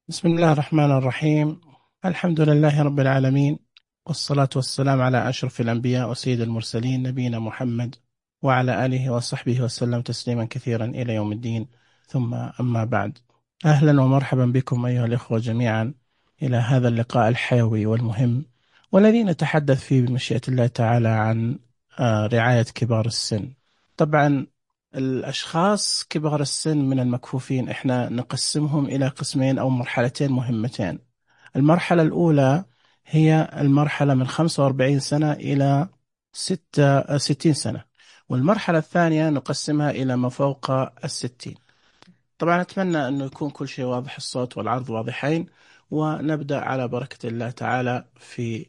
بسم الله الرحمن الرحيم. الحمد لله رب العالمين، والصلاة والسلام على أشرف الأنبياء وسيد المرسلين نبينا محمد وعلى آله وصحبه وسلم تسليما كثيرا إلى يوم الدين. ثم أما بعد، أهلا ومرحبا بكم أيها الإخوة جميعا إلى هذا اللقاء الحيوي والمهم، والذي نتحدث فيه بمشيئة الله تعالى عن رعاية كبار السن. طبعا الأشخاص كبار السن من المكفوفين إحنا نقسمهم إلى قسمين أو مرحلتين مهمتين. المرحلة الأولى هي المرحلة من 45 سنة إلى 60 سنة، والمرحلة الثانية نقسمها إلى ما فوق 60. طبعا أتمنى أنه يكون كل شيء واضح، الصوت والعرض واضحين، ونبدأ على بركة الله تعالى في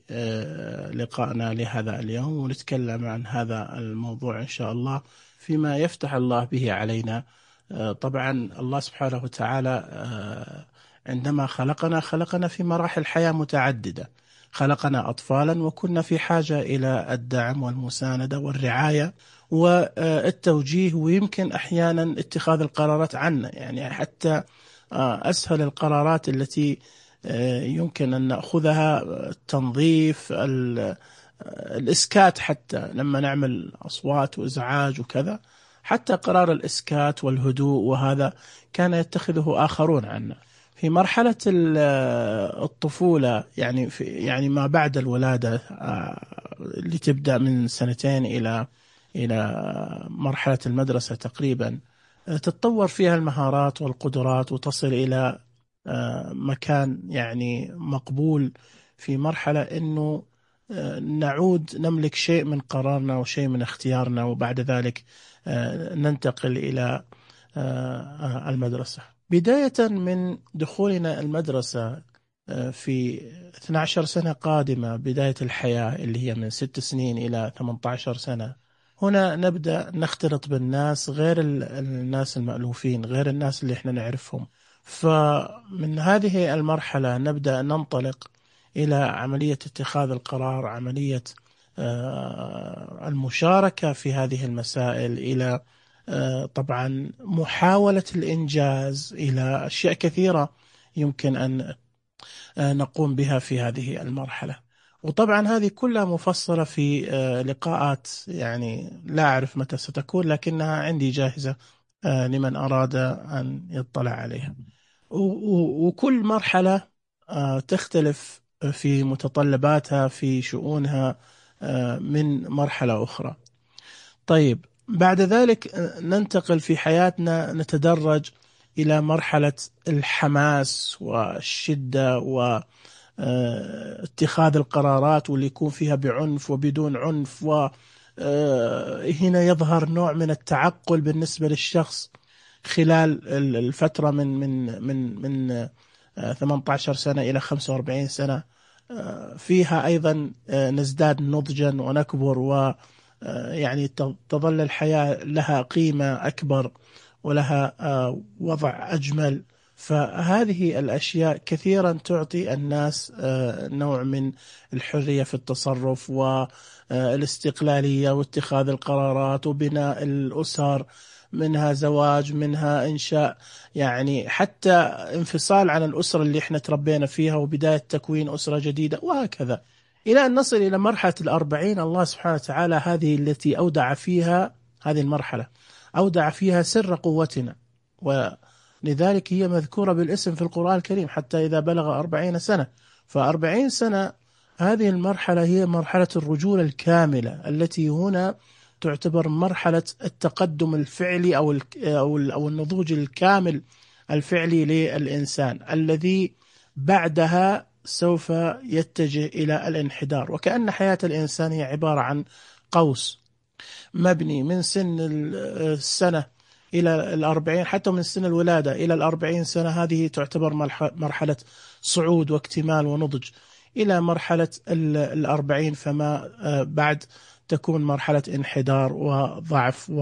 لقائنا لهذا اليوم، ونتكلم عن هذا الموضوع إن شاء الله فيما يفتح الله به علينا. طبعا الله سبحانه وتعالى عندما خلقنا في مراحل حياة متعددة. خلقنا أطفالا وكنا في حاجة إلى الدعم والمساندة والرعاية والتوجيه، ويمكن أحيانا اتخاذ القرارات عنا، يعني حتى أسهل القرارات التي يمكن أن نأخذها، التنظيف، الإسكات، حتى لما نعمل أصوات وإزعاج وكذا، حتى قرار الإسكات والهدوء وهذا كان يتخذه آخرون عنا. في مرحلة الطفولة، يعني ما بعد الولادة، اللي تبدأ من سنتين إلى مرحلة المدرسة تقريبا، تتطور فيها المهارات والقدرات وتصل إلى مكان يعني مقبول، في مرحلة أنه نعود نملك شيء من قرارنا وشيء من اختيارنا، وبعد ذلك ننتقل إلى المدرسة. بداية من دخولنا المدرسة في 12 سنة قادمة، بداية الحياة اللي هي من 6 سنين إلى 18 سنة، هنا نبدأ نختلط بالناس، غير الناس المألوفين، غير الناس اللي احنا نعرفهم. فمن هذه المرحلة نبدأ ننطلق إلى عملية اتخاذ القرار، عملية المشاركة في هذه المسائل، إلى طبعا محاولة الإنجاز، إلى أشياء كثيرة يمكن أن نقوم بها في هذه المرحلة. وطبعا هذه كلها مفصلة في لقاءات، يعني لا أعرف متى ستكون، لكنها عندي جاهزة لمن أراد أن يطلع عليها. وكل مرحلة تختلف في متطلباتها، في شؤونها من مرحلة أخرى. طيب، بعد ذلك ننتقل في حياتنا، نتدرج إلى مرحلة الحماس والشدة واتخاذ القرارات، واللي يكون فيها بعنف وبدون عنف، وهنا يظهر نوع من التعقل بالنسبة للشخص خلال الفترة من 18 سنة إلى 45 سنة. فيها أيضا نزداد نضجا ونكبر، يعني تظل الحياة لها قيمة أكبر ولها وضع أجمل. فهذه الأشياء كثيرا تعطي الناس نوع من الحرية في التصرف والاستقلالية واتخاذ القرارات وبناء الأسر، منها زواج، منها إنشاء، يعني حتى انفصال عن الأسرة اللي احنا تربينا فيها وبداية تكوين أسرة جديدة، وهكذا إلى أن نصل إلى مرحلة 40. الله سبحانه وتعالى هذه التي أودع فيها، هذه المرحلة أودع فيها سر قوتنا، ولذلك هي مذكورة بالاسم في القرآن الكريم، حتى إذا بلغ 40 سنة. ف40 سنة هذه المرحلة هي مرحلة الرجولة الكاملة، التي هنا تعتبر مرحلة التقدم الفعلي أو النضوج الكامل الفعلي للإنسان، الذي بعدها سوف يتجه إلى الانحدار. وكأن حياة الإنسان هي عبارة عن قوس مبني من سن السنة إلى 40، حتى من سن الولادة إلى 40 سنة، هذه تعتبر مرحلة صعود واكتمال ونضج، إلى مرحلة 40 فما بعد تكون مرحلة انحدار وضعف.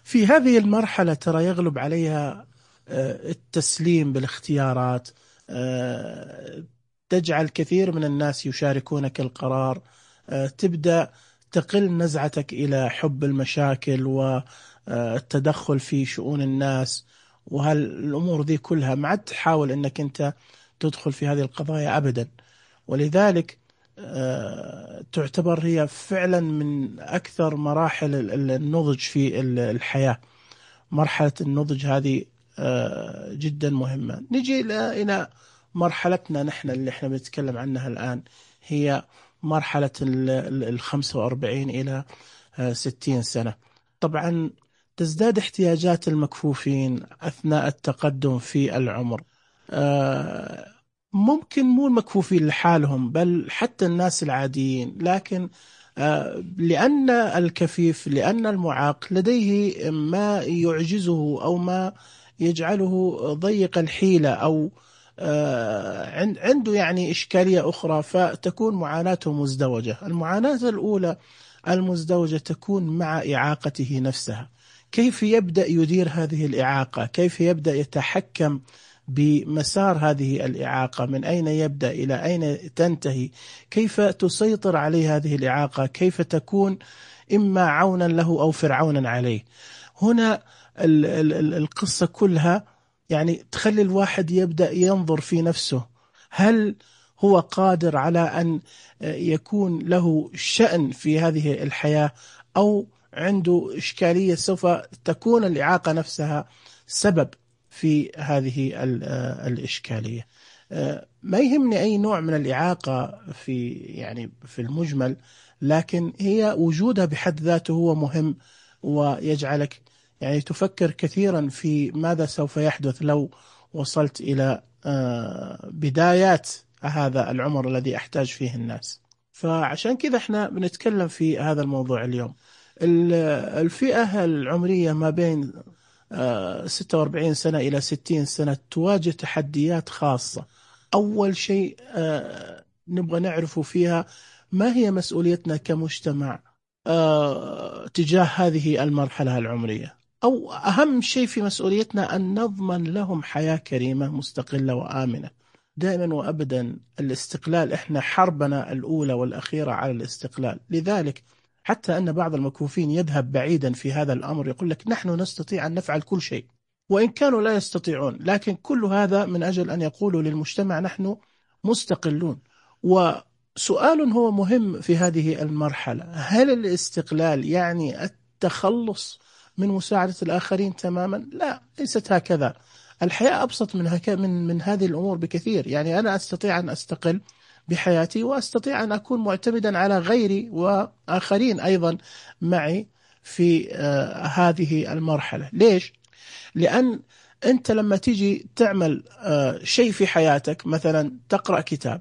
في هذه المرحلة ترى يغلب عليها التسليم بالاختيارات، تجعل كثير من الناس يشاركونك القرار، تبدأ تقل نزعتك إلى حب المشاكل والتدخل في شؤون الناس، وهالأمور ذي كلها، ما عاد تحاول أنك أنت تدخل في هذه القضايا أبدا. ولذلك تعتبر هي فعلا من أكثر مراحل النضج في الحياة. مرحلة النضج هذه جدا مهمة. نجي إلى مرحلتنا نحن اللي احنا بنتكلم عنها الآن، هي مرحلة 45 إلى 60 سنة. طبعا تزداد احتياجات المكفوفين أثناء التقدم في العمر. ممكن مو المكفوفين لحالهم، بل حتى الناس العاديين، لكن لأن الكفيف، لأن المعاق لديه ما يعجزه أو ما يجعله ضيق الحيلة، أو عنده يعني إشكالية أخرى، فتكون معاناته مزدوجة. المعاناة الأولى المزدوجة تكون مع إعاقته نفسها. كيف يبدأ يدير هذه الإعاقة؟ كيف يبدأ يتحكم بمسار هذه الإعاقة؟ من أين يبدأ إلى أين تنتهي؟ كيف تسيطر عليه هذه الإعاقة؟ كيف تكون إما عونا له أو فرعونا عليه؟ هنا القصة كلها يعني تخلي الواحد يبدأ ينظر في نفسه، هل هو قادر على أن يكون له شأن في هذه الحياة، أو عنده إشكالية سوف تكون الإعاقة نفسها سبب في هذه الإشكالية. ما يهمني أي نوع من الإعاقة في المجمل، لكن هي وجودها بحد ذاته هو مهم، ويجعلك يعني تفكر كثيرا في ماذا سوف يحدث لو وصلت إلى بدايات هذا العمر الذي أحتاج فيه الناس. فعشان كذا احنا بنتكلم في هذا الموضوع اليوم. الفئة العمرية ما بين 46 سنة إلى 60 سنة تواجه تحديات خاصة. أول شيء نبغى نعرفه فيها، ما هي مسؤوليتنا كمجتمع تجاه هذه المرحلة العمرية؟ أو أهم شيء في مسؤوليتنا أن نضمن لهم حياة كريمة مستقلة وآمنة. دائما وأبدا الاستقلال، إحنا حربنا الأولى والأخيرة على الاستقلال. لذلك حتى أن بعض المكفوفين يذهب بعيدا في هذا الأمر، يقول لك نحن نستطيع أن نفعل كل شيء، وإن كانوا لا يستطيعون، لكن كل هذا من أجل أن يقولوا للمجتمع نحن مستقلون. وسؤال هو مهم في هذه المرحلة، هل الاستقلال يعني التخلص من مساعدة الآخرين تماما؟ لا، ليست هكذا. الحياة أبسط من هذه الأمور بكثير. يعني أنا أستطيع أن أستقل بحياتي، وأستطيع أن أكون معتمدا على غيري وآخرين أيضا معي في هذه المرحلة. ليش؟ لأن أنت لما تيجي تعمل شيء في حياتك، مثلا تقرأ كتاب،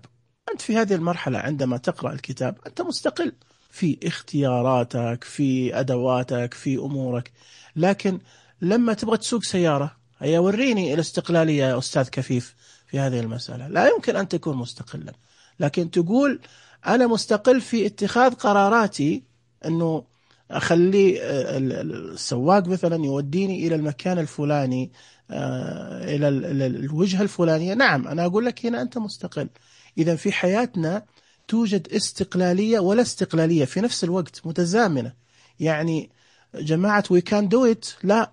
أنت في هذه المرحلة عندما تقرأ الكتاب أنت مستقل في اختياراتك، في أدواتك، في أمورك. لكن لما تبغى تسوق سيارة، هيا وريني الاستقلالية يا أستاذ كفيف في هذه المسألة. لا يمكن أن تكون مستقلا. لكن تقول أنا مستقل في اتخاذ قراراتي، أنه أخلي السواق مثلا يوديني إلى المكان الفلاني، إلى الوجهة الفلانية. نعم، أنا أقول لك هنا أنت مستقل. إذا في حياتنا توجد استقلالية ولا استقلالية في نفس الوقت، متزامنة. يعني جماعة we can do it، لا،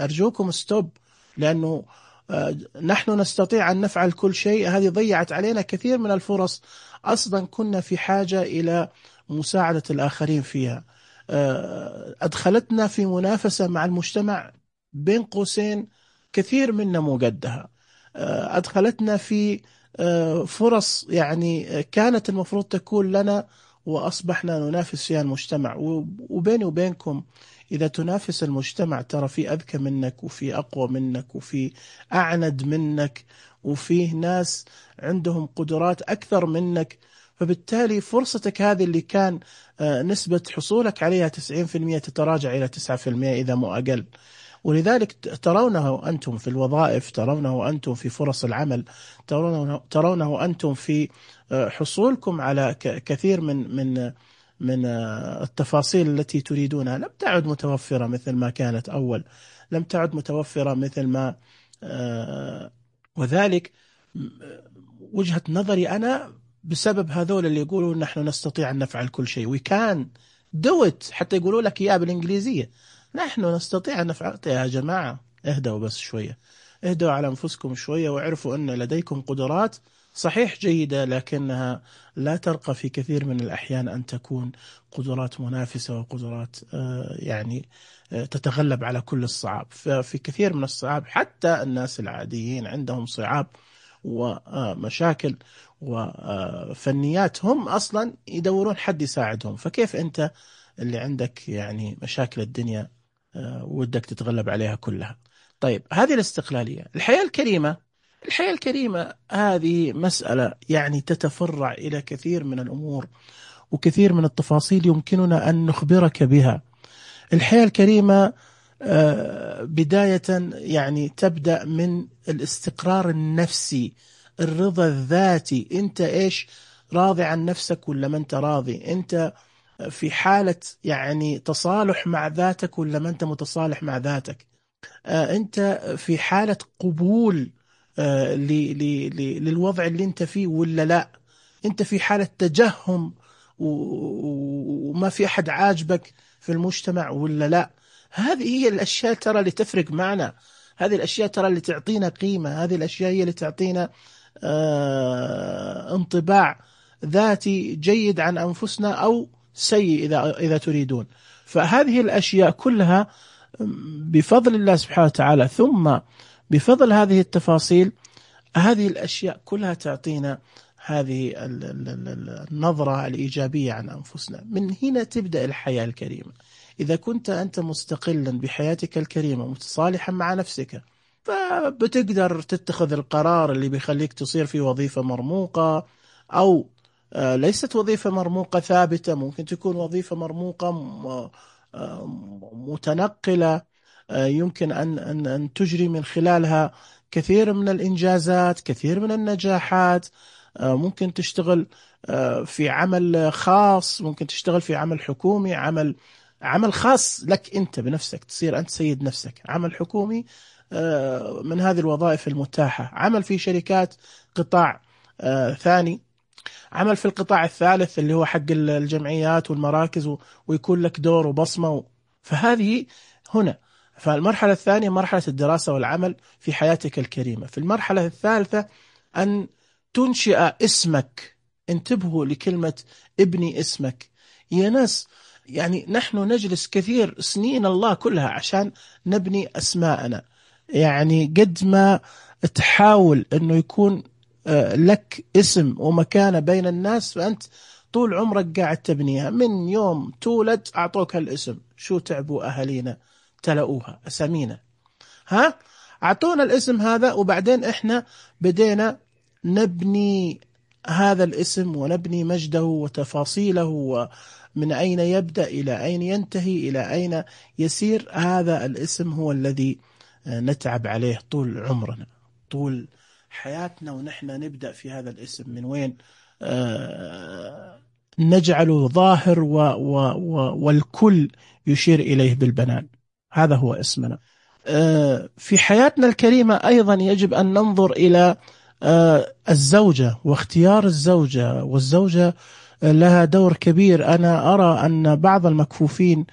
أرجوكم ستوب، لأنه نحن نستطيع أن نفعل كل شيء. هذه ضيعت علينا كثير من الفرص أصلا كنا في حاجة إلى مساعدة الآخرين فيها. أدخلتنا في منافسة مع المجتمع، بين قوسين كثير منا مو قدها. أدخلتنا في فرص يعني كانت المفروض تكون لنا، وأصبحنا ننافس فيها المجتمع. وبيني وبينكم، إذا تنافس المجتمع ترى في أذكى منك، وفي أقوى منك، وفي أعند منك، وفيه ناس عندهم قدرات أكثر منك. فبالتالي فرصتك هذه اللي كان نسبة حصولك عليها 90% تتراجع إلى 9% إذا مو أقل. ولذلك ترونه أنتم في الوظائف، ترونه أنتم في فرص العمل، ترونه أنتم في حصولكم على كثير من التفاصيل التي تريدونها. لم تعد متوفرة مثل ما كانت أول، لم تعد متوفرة مثل ما وذلك وجهة نظري أنا بسبب هذول اللي يقولون نحن نستطيع أن نفعل كل شيء. we can do it، حتى يقولوا لك إياه بالإنجليزية، نحن نستطيع أن نفعل. يا جماعة اهدوا بس شوية، اهدوا على أنفسكم شوية، واعرفوا أن لديكم قدرات صحيح جيدة، لكنها لا ترقى في كثير من الأحيان أن تكون قدرات منافسة وقدرات يعني تتغلب على كل الصعاب. ففي كثير من الصعاب حتى الناس العاديين عندهم صعاب ومشاكل وفنيات، هم أصلا يدورون حد يساعدهم، فكيف أنت اللي عندك يعني مشاكل الدنيا ودك تتغلب عليها كلها؟ طيب، هذه الاستقلالية. الحياة الكريمة هذه مسألة يعني تتفرع إلى كثير من الأمور وكثير من التفاصيل يمكننا أن نخبرك بها. الحياة الكريمة بداية يعني تبدأ من الاستقرار النفسي، الرضا الذاتي. أنت إيش، راضي عن نفسك ولا ما أنت راضي؟ أنت في حالة يعني تصالح مع ذاتك ولا ما أنت متصالح مع ذاتك؟ أنت في حالة قبول للوضع اللي أنت فيه ولا لا؟ أنت في حالة تجهم وما في أحد عاجبك في المجتمع ولا لا؟ هذه هي الأشياء ترى اللي تفرق معنا، هذه الأشياء ترى اللي تعطينا قيمة، هذه الأشياء هي اللي تعطينا انطباع ذاتي جيد عن أنفسنا أو سيء إذا تريدون. فهذه الأشياء كلها بفضل الله سبحانه وتعالى، ثم بفضل هذه التفاصيل، هذه الأشياء كلها تعطينا هذه النظرة الإيجابية عن أنفسنا. من هنا تبدأ الحياة الكريمة. إذا كنت أنت مستقلا بحياتك الكريمة متصالحا مع نفسك، فبتقدر تتخذ القرار اللي بيخليك تصير في وظيفة مرموقة، أو ليست وظيفة مرموقة ثابتة، ممكن تكون وظيفة مرموقة متنقلة، يمكن أن تجري من خلالها كثير من الإنجازات، كثير من النجاحات. ممكن تشتغل في عمل خاص، ممكن تشتغل في عمل حكومي، عمل خاص لك أنت بنفسك، تصير أنت سيد نفسك. عمل حكومي من هذه الوظائف المتاحة، عمل في شركات قطاع ثاني، عمل في القطاع الثالث اللي هو حق الجمعيات والمراكز، ويكون لك دور وبصمة. فهذه هنا. فالمرحلة الثانية مرحلة الدراسة والعمل في حياتك الكريمة. في المرحلة الثالثة أن تنشئ اسمك. انتبهوا لكلمة ابني اسمك يا ناس. يعني نحن نجلس كثير سنين الله كلها عشان نبني أسماءنا. يعني قد ما تحاول أنه يكون لك اسم ومكانة بين الناس، فأنت طول عمرك قاعد تبنيها. من يوم تولد أعطوك هالاسم، شو تعبوا أهالينا تلقوها أسامينا، أعطونا الاسم هذا، وبعدين إحنا بدينا نبني هذا الاسم ونبني مجده وتفاصيله، ومن أين يبدأ إلى أين ينتهي إلى أين يسير. هذا الاسم هو الذي نتعب عليه طول عمرنا، طول حياتنا، ونحن نبدأ في هذا الاسم من وين؟ نجعله ظاهر والكل يشير إليه بالبنان. هذا هو اسمنا. في حياتنا الكريمة أيضا يجب أن ننظر إلى الزوجة واختيار الزوجة، والزوجة لها دور كبير. أنا أرى أن بعض المكفوفين،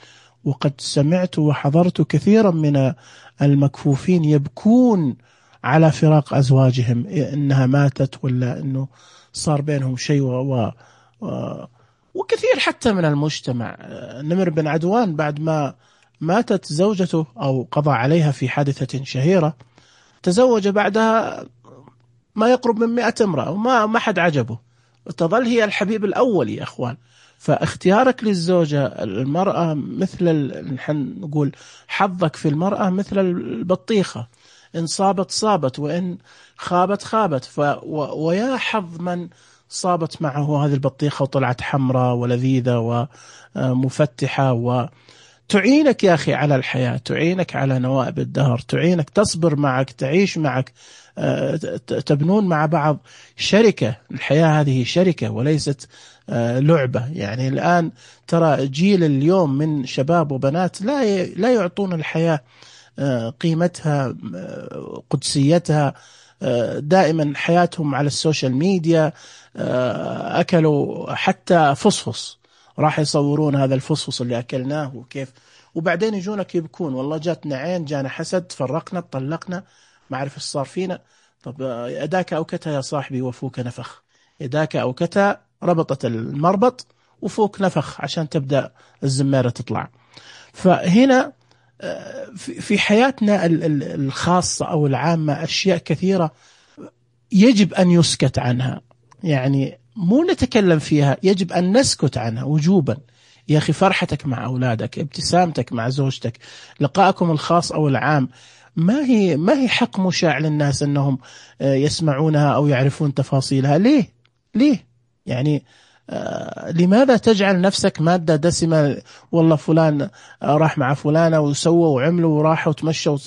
وقد سمعت وحضرت كثيرا من المكفوفين يبكون على فراق أزواجهم، إنها ماتت ولا إنه صار بينهم شيء وكثير حتى من المجتمع. نمر بن عدوان بعد ما ماتت زوجته أو قضى عليها في حادثة شهيرة، تزوج بعدها ما يقرب من 100 امرأة وما حد عجبه، وتظل هي الحبيب الأول يا أخوان. فاختيارك للزوجة المرأة مثل نحن نقول حظك في المرأة مثل البطيخة، إن صابت صابت وإن خابت خابت. ويا حظ من صابت معه هذه البطيخة وطلعت حمراء ولذيذة ومفتحة، وتعينك يا أخي على الحياة، تعينك على نوائب الدهر، تعينك تصبر معك، تعيش معك، تبنون مع بعض شركة. الحياة هذه شركة وليست لعبة. يعني الآن ترى جيل اليوم من شباب وبنات لا يعطون الحياة قيمتها، قدسيتها. دائما حياتهم على السوشيال ميديا. أكلوا حتى فصفص، راح يصورون هذا الفصفص اللي أكلناه وكيف وبعدين يجونك يبكون، والله جاتنا عين، جانا حسد، تفرقنا، طلقنا، ما أعرف إيش صار فينا. طب يداك أوكتها يا صاحبي وفوك نفخ، يداك أوكتها، ربطت المربط وفوك نفخ عشان تبدأ الزمارة تطلع. فهنا في حياتنا الخاصة أو العامة أشياء كثيرة يجب أن يسكت عنها، يعني مو نتكلم فيها، يجب أن نسكت عنها وجوبا. يا أخي فرحتك مع أولادك، ابتسامتك مع زوجتك، لقائكم الخاص أو العام، ما هي حق مشاع للناس أنهم يسمعونها أو يعرفون تفاصيلها. ليه يعني لماذا تجعل نفسك مادة دسمة؟ والله فلان راح مع فلانة وسووا وعملوا وراحوا وتمشوا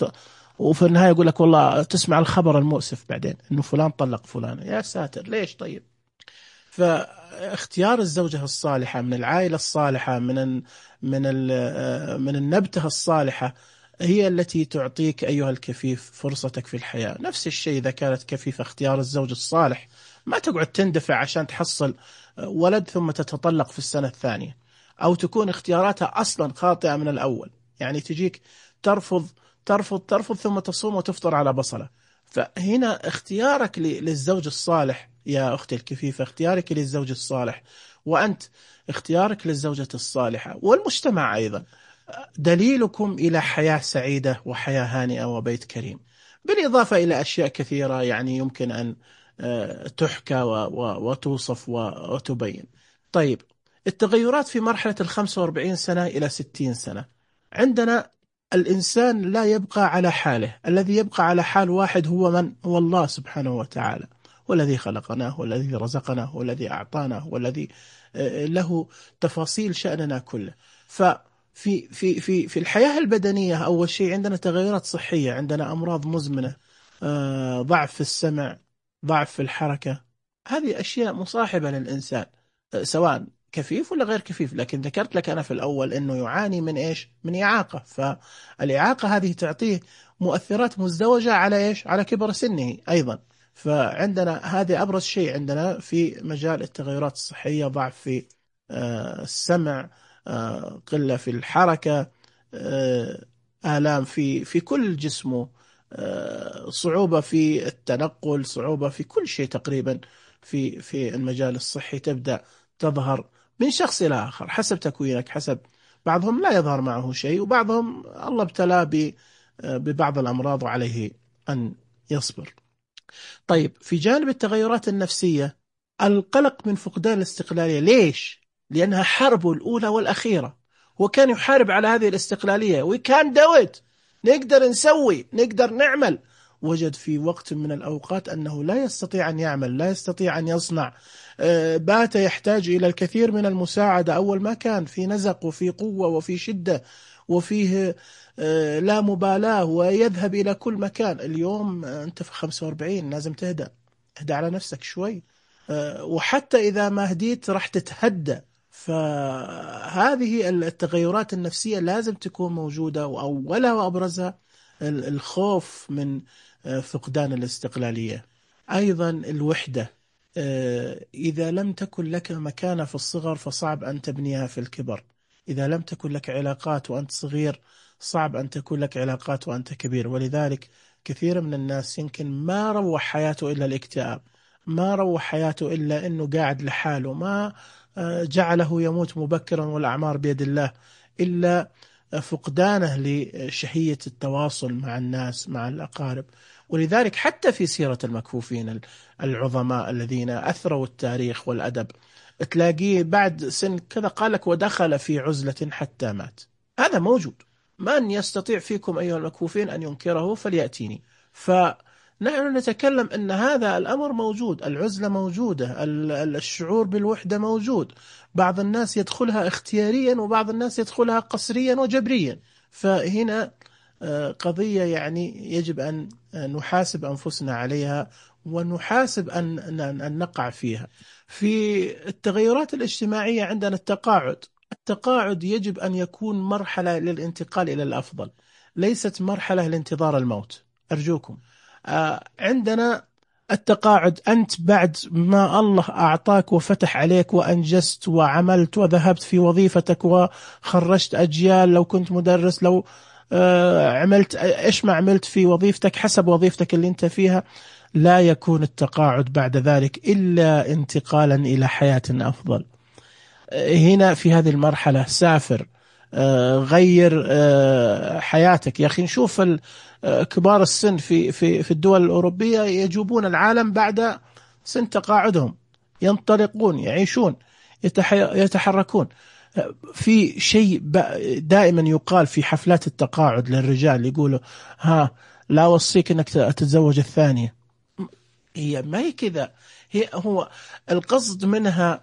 وفي النهاية يقول لك والله تسمع الخبر المؤسف بعدين إنه فلان طلق فلانة. يا ساتر، ليش طيب؟ فاختيار الزوجة الصالحة من العائلة الصالحة من النبتة الصالحة هي التي تعطيك أيها الكفيف فرصتك في الحياة. نفس الشيء إذا كانت كفيفة، اختيار الزوج الصالح، ما تقعد تندفع عشان تحصل ولد ثم تتطلق في السنة الثانية، أو تكون اختياراتها أصلا خاطئة من الأول، يعني تجيك ترفض ترفض ترفض ثم تصوم وتفطر على بصلة. فهنا اختيارك للزوج الصالح يا أختي الكفيفة، اختيارك للزوج الصالح، وأنت اختيارك للزوجة الصالحة والمجتمع أيضا، دليلكم إلى حياة سعيدة وحياة هانئة وبيت كريم، بالإضافة إلى أشياء كثيرة يعني يمكن أن تحكى وتوصف وتبين. طيب، التغيرات في مرحلة 45 سنة إلى 60 سنة. عندنا الإنسان لا يبقى على حاله، الذي يبقى على حال واحد هو من؟ هو الله سبحانه وتعالى، والذي خلقنا، والذي رزقنا، والذي أعطانا، والذي له تفاصيل شأننا كله. في الحياة البدنية أول شيء عندنا تغيرات صحية، عندنا أمراض مزمنة، ضعف في السمع، ضعف في الحركة، هذه أشياء مصاحبة للإنسان سواء كفيف ولا غير كفيف. لكن ذكرت لك أنا في الأول أنه يعاني من إيش؟ من إعاقة، فالإعاقة هذه تعطيه مؤثرات مزدوجة على إيش؟ على كبر سنه أيضا. فعندنا هذا أبرز شيء عندنا في مجال التغيرات الصحية، ضعف في السمع، قلة في الحركة، آلام في كل جسمه، صعوبة في التنقل، صعوبة في كل شيء تقريبا في المجال الصحي تبدأ تظهر من شخص إلى آخر حسب تكوينك، حسب بعضهم لا يظهر معه شيء، وبعضهم الله ابتلاه ببعض الأمراض وعليه أن يصبر. طيب، في جانب التغيرات النفسية، القلق من فقدان الاستقلالية. ليش؟ لأنها حربه الأولى والأخيرة، هو كان يحارب على هذه الاستقلالية، وكان دوت نقدر نسوي، نقدر نعمل، وجد في وقت من الأوقات أنه لا يستطيع أن يعمل، لا يستطيع أن يصنع، بات يحتاج إلى الكثير من المساعدة. أول ما كان في نزق وفي قوة وفي شدة وفيه لا مبالاة ويذهب إلى كل مكان. اليوم أنت في 45 لازم تهدأ، اهدأ على نفسك شوي، وحتى إذا ما هديت راح تتهدى. فهذه التغيرات النفسية لازم تكون موجودة، وأولها وأبرزها الخوف من فقدان الاستقلالية. أيضا الوحدة، إذا لم تكن لك مكانة في الصغر فصعب أن تبنيها في الكبر. إذا لم تكن لك علاقات وأنت صغير صعب أن تكون لك علاقات وأنت كبير. ولذلك كثير من الناس يمكن ما روح حياته إلا الاكتئاب، ما روح حياته إلا أنه قاعد لحاله، ما جعله يموت مبكرا والأعمار بيد الله، إلا فقدانه لشهية التواصل مع الناس، مع الأقارب. ولذلك حتى في سيرة المكفوفين العظماء الذين أثروا التاريخ والأدب، تلاقيه بعد سن كذا قال لك ودخل في عزلة حتى مات. هذا موجود، من يستطيع فيكم أيها المكفوفين أن ينكره فليأتيني. فنحن نتكلم أن هذا الأمر موجود، العزلة موجودة، الشعور بالوحدة موجود. بعض الناس يدخلها اختياريا وبعض الناس يدخلها قسريا وجبريا. فهنا قضية يعني يجب أن نحاسب أنفسنا عليها، ونحاسب أن نقع فيها. في التغيرات الاجتماعية عندنا التقاعد يجب أن يكون مرحلة للانتقال إلى الأفضل، ليست مرحلة لانتظار الموت، أرجوكم. عندنا التقاعد أنت بعد ما الله أعطاك وفتح عليك وأنجزت وعملت وذهبت في وظيفتك وخرجت أجيال، لو كنت مدرس، لو عملت إيش ما عملت في وظيفتك حسب وظيفتك اللي أنت فيها، لا يكون التقاعد بعد ذلك إلا انتقالا إلى حياة أفضل. هنا في هذه المرحلة سافر، غير حياتك. يا أخي نشوف كبار السن في الدول الأوروبية يجوبون العالم بعد سن تقاعدهم، ينطلقون، يعيشون، يتحركون. في شيء دائما يقال في حفلات التقاعد للرجال، يقولوا ها لا أوصيك أنك تتزوج الثانية. هي ما هي كذا، هو القصد منها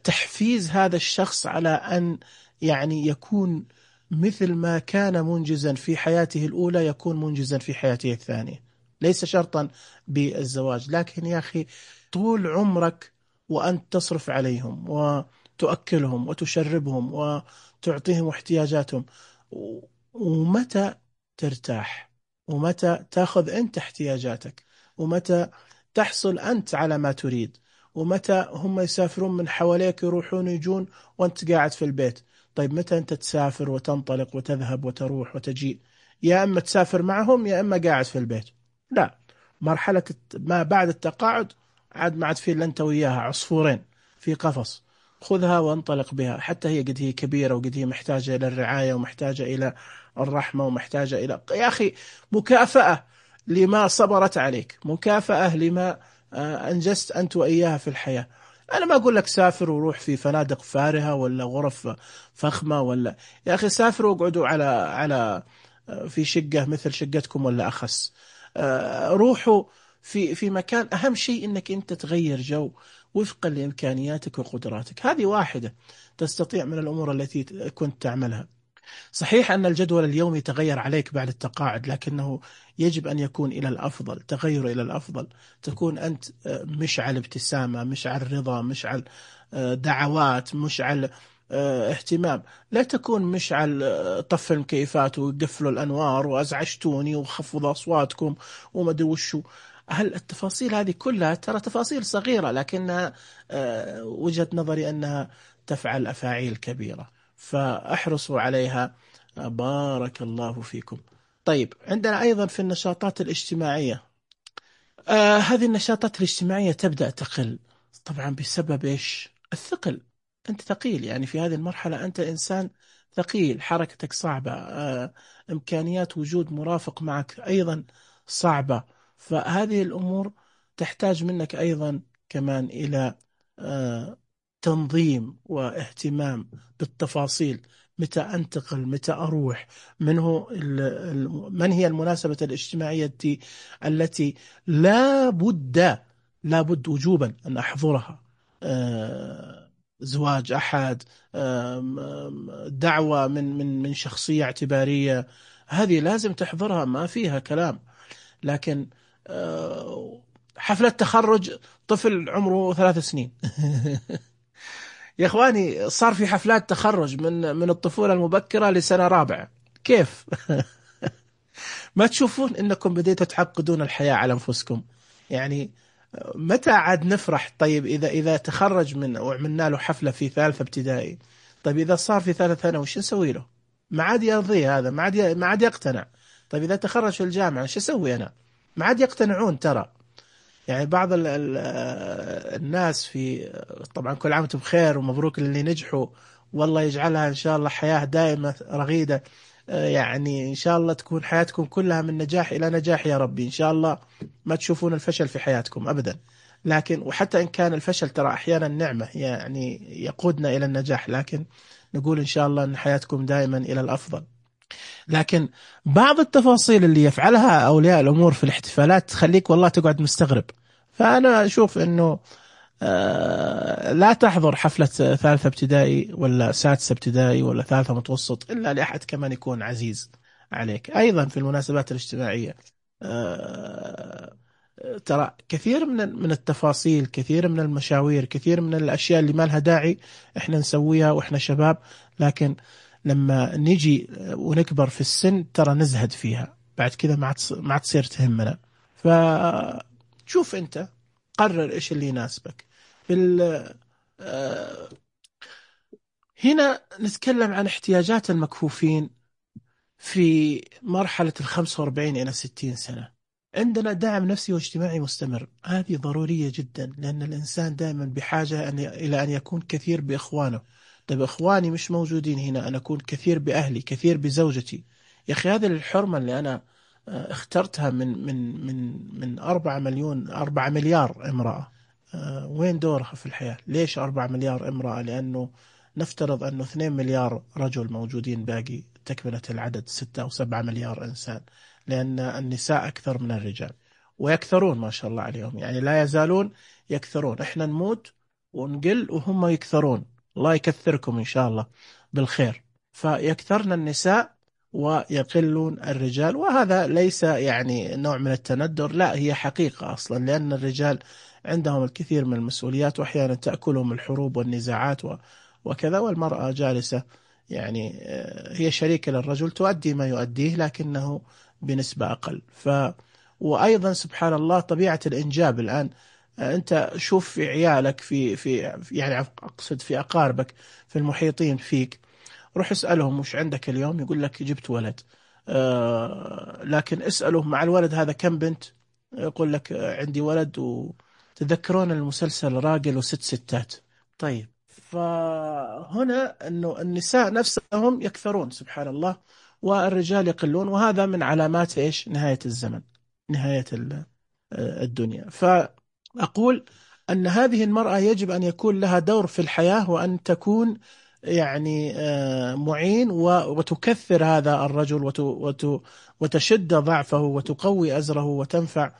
تحفيز هذا الشخص على أن يعني يكون مثل ما كان منجزا في حياته الأولى يكون منجزا في حياته الثانية. ليس شرطا بالزواج، لكن يا أخي طول عمرك وأنت تصرف عليهم وتؤكلهم وتشربهم وتعطيهم احتياجاتهم، ومتى ترتاح؟ ومتى تأخذ أنت احتياجاتك؟ ومتى تحصل أنت على ما تريد؟ ومتى هم يسافرون من حواليك، يروحون يجون وأنت قاعد في البيت؟ طيب متى أنت تسافر وتنطلق وتذهب وتروح وتجي؟ يا أما تسافر معهم يا أما قاعد في البيت. لا، مرحلة ما بعد التقاعد عاد ما عاد في إلا أنت وياها عصفورين في قفص، خذها وانطلق بها. حتى هي قد هي كبيرة وقد هي محتاجة إلى الرعاية ومحتاجة إلى الرحمة ومحتاجة إلى يا أخي مكافأة لما صبرت عليك، مكافأة لما أنجزت أنت وإياها في الحياة. أنا ما أقول لك سافر وروح في فنادق فارهة ولا غرف فخمة، ولا يا أخي سافروا واقعدوا على في شقة مثل شقتكم ولا أخس. روحوا في مكان، أهم شيء أنك أنت تغير جو وفقا لإمكانياتك وقدراتك. هذه واحدة تستطيع من الأمور التي كنت تعملها. صحيح أن الجدول اليومي تغير عليك بعد التقاعد، لكنه يجب أن يكون إلى الأفضل، تغير إلى الأفضل. تكون أنت مشعل ابتسامة، مشعل رضا، مشعل دعوات، مشعل اهتمام. لا تكون مشعل طفوا المكيفات وقفلوا الأنوار وأزعجتوني وخفضوا أصواتكم وما أدري وشو. هل التفاصيل هذه كلها ترى تفاصيل صغيرة، لكنها وجهة نظري أنها تفعل أفاعيل كبيرة، فاحرصوا عليها. بارك الله فيكم. طيب عندنا أيضا في النشاطات الاجتماعية، هذه النشاطات الاجتماعية تبدأ تقل طبعا بسبب إيش؟ الثقل. أنت ثقيل، يعني في هذه المرحلة أنت إنسان ثقيل، حركتك صعبة، إمكانيات وجود مرافق معك أيضا صعبة. فهذه الأمور تحتاج منك أيضا كمان إلى تنظيم واهتمام بالتفاصيل. متى أنتقل، متى أروح، من هي المناسبة الاجتماعية التي لا بد وجوبا أن أحضرها. زواج أحد، دعوة من شخصية اعتبارية، هذه لازم تحضرها، ما فيها كلام. لكن حفلة تخرج طفل عمره 3 سنين يا اخواني صار في حفلات تخرج من الطفولة المبكرة لسنة رابعة، كيف؟ ما تشوفون انكم بديتوا تعقدون الحياة على انفسكم؟ يعني متى عاد نفرح؟ طيب اذا تخرج وعملنا له حفلة في ثالثة ابتدائي، طيب اذا صار في ثالث ثانوي وش نسوي له؟ ما عاد يرضيه هذا، ما عاد يقتنع. طيب اذا تخرج في الجامعة شو اسوي انا؟ ما عاد يقتنعون ترى. يعني بعض الناس طبعا كل عام وانتم بخير ومبروك اللي نجحوا، والله يجعلها إن شاء الله حياة دائمة رغيدة. يعني إن شاء الله تكون حياتكم كلها من نجاح إلى نجاح يا ربي. إن شاء الله ما تشوفون الفشل في حياتكم أبدا. لكن وحتى إن كان الفشل ترى أحيانا نعمة، يعني يقودنا إلى النجاح، لكن نقول إن شاء الله أن حياتكم دائما إلى الأفضل. لكن بعض التفاصيل اللي يفعلها أولياء الأمور في الاحتفالات تخليك والله تقعد مستغرب. فأنا أشوف أنه لا تحضر حفلة ثالثة ابتدائي ولا سادسة ابتدائي ولا ثالثة متوسط إلا لأحد كمان يكون عزيز عليك. أيضا في المناسبات الاجتماعية ترى كثير من التفاصيل، كثير من المشاوير، كثير من الأشياء اللي ما لها داعي إحنا نسويها وإحنا شباب، لكن لما نجي ونكبر في السن ترى نزهد فيها، بعد كذا ما عاد تصير تهمنا. شوف أنت، قرر إيش اللي يناسبك. بال هنا نتكلم عن احتياجات المكفوفين في مرحلة 45 إلى 60 سنة. عندنا دعم نفسي واجتماعي مستمر، هذه ضرورية جدا، لأن الإنسان دائما بحاجة إلى أن يكون كثير بإخوانه. طيب إخواني مش موجودين هنا، أنا أكون كثير بأهلي، كثير بزوجتي. يا أخي هذه الحرمة اللي أنا اخترتها من 4 مليار امرأة، وين دورها في الحياة؟ ليش 4 مليار امرأة؟ لأنه نفترض أنه 2 مليار رجل موجودين، باقي تكملة العدد 6 أو 7 مليار إنسان، لأن النساء أكثر من الرجال ويكثرون ما شاء الله عليهم، يعني لا يزالون يكثرون. إحنا نموت ونقل وهم يكثرون، الله يكثركم إن شاء الله بالخير. فيكثرن النساء ويقلون الرجال، وهذا ليس يعني نوع من التندر، لا، هي حقيقة أصلا، لأن الرجال عندهم الكثير من المسؤوليات، وأحيانا تأكلهم الحروب والنزاعات وكذا، والمرأة جالسة يعني هي شريكة للرجل، تؤدي ما يؤديه لكنه بنسبة أقل. وأيضا سبحان الله طبيعة الإنجاب الآن، أنت شوف في عيالك، في يعني أقصد في أقاربك، في المحيطين فيك، روح اسألهم وش عندك اليوم، يقول لك جبت ولد. لكن اسأله مع الولد هذا كم بنت، يقول لك عندي ولد. وتذكرون المسلسل راجل وست ستات؟ طيب، فهنا أنه النساء نفسهم يكثرون سبحان الله، والرجال يقلون، وهذا من علامات إيش؟ نهاية الزمن، نهاية الدنيا. فأقول أن هذه المرأة يجب أن يكون لها دور في الحياة، وأن تكون يعني معين وتكثر هذا الرجل وتشد ضعفه وتقوي أزره وتنفع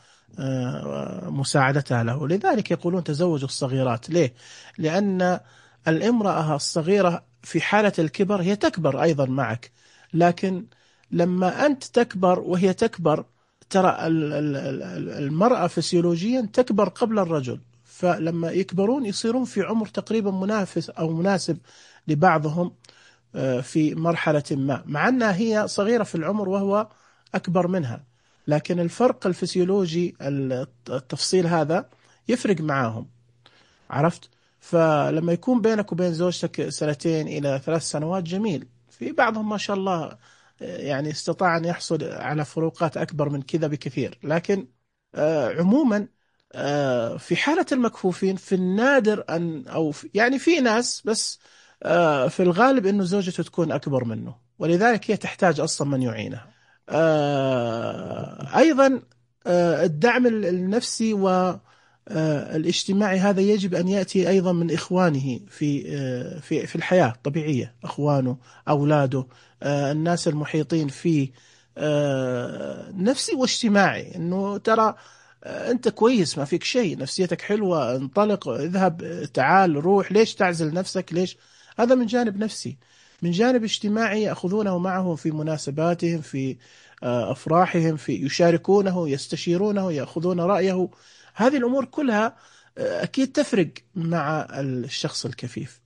مساعدتها له. لذلك يقولون تزوجوا الصغيرات. ليه؟ لأن الامرأة الصغيرة في حالة الكبر هي تكبر أيضا معك، لكن لما أنت تكبر وهي تكبر، ترى المرأة فسيولوجيا تكبر قبل الرجل، فلما يكبرون يصيرون في عمر تقريبا منافس أو مناسب لبعضهم في مرحلة ما، مع أنها هي صغيرة في العمر وهو أكبر منها، لكن الفرق الفسيولوجي التفصيل هذا يفرق معاهم. عرفت؟ فلما يكون بينك وبين زوجتك 2 إلى 3 سنوات جميل، في بعضهم ما شاء الله يعني استطاع أن يحصل على فروقات أكبر من كذا بكثير، لكن عموما في حالة المكفوفين في النادر أن يعني في ناس، بس في الغالب أنه زوجته تكون أكبر منه، ولذلك هي تحتاج أصلا من يعينها. أيضا الدعم النفسي والاجتماعي هذا يجب أن يأتي أيضا من إخوانه في الحياة الطبيعية، أخوانه، أولاده، الناس المحيطين فيه، نفسي واجتماعي، أنه ترى أنت كويس، ما فيك شيء، نفسيتك حلوة، انطلق، اذهب، تعال، روح، ليش تعزل نفسك؟ ليش؟ هذا من جانب نفسي. من جانب اجتماعي يأخذونه معهم في مناسباتهم، في أفراحهم، في يشاركونه، يستشيرونه، يأخذون رأيه. هذه الأمور كلها أكيد تفرق مع الشخص الكفيف.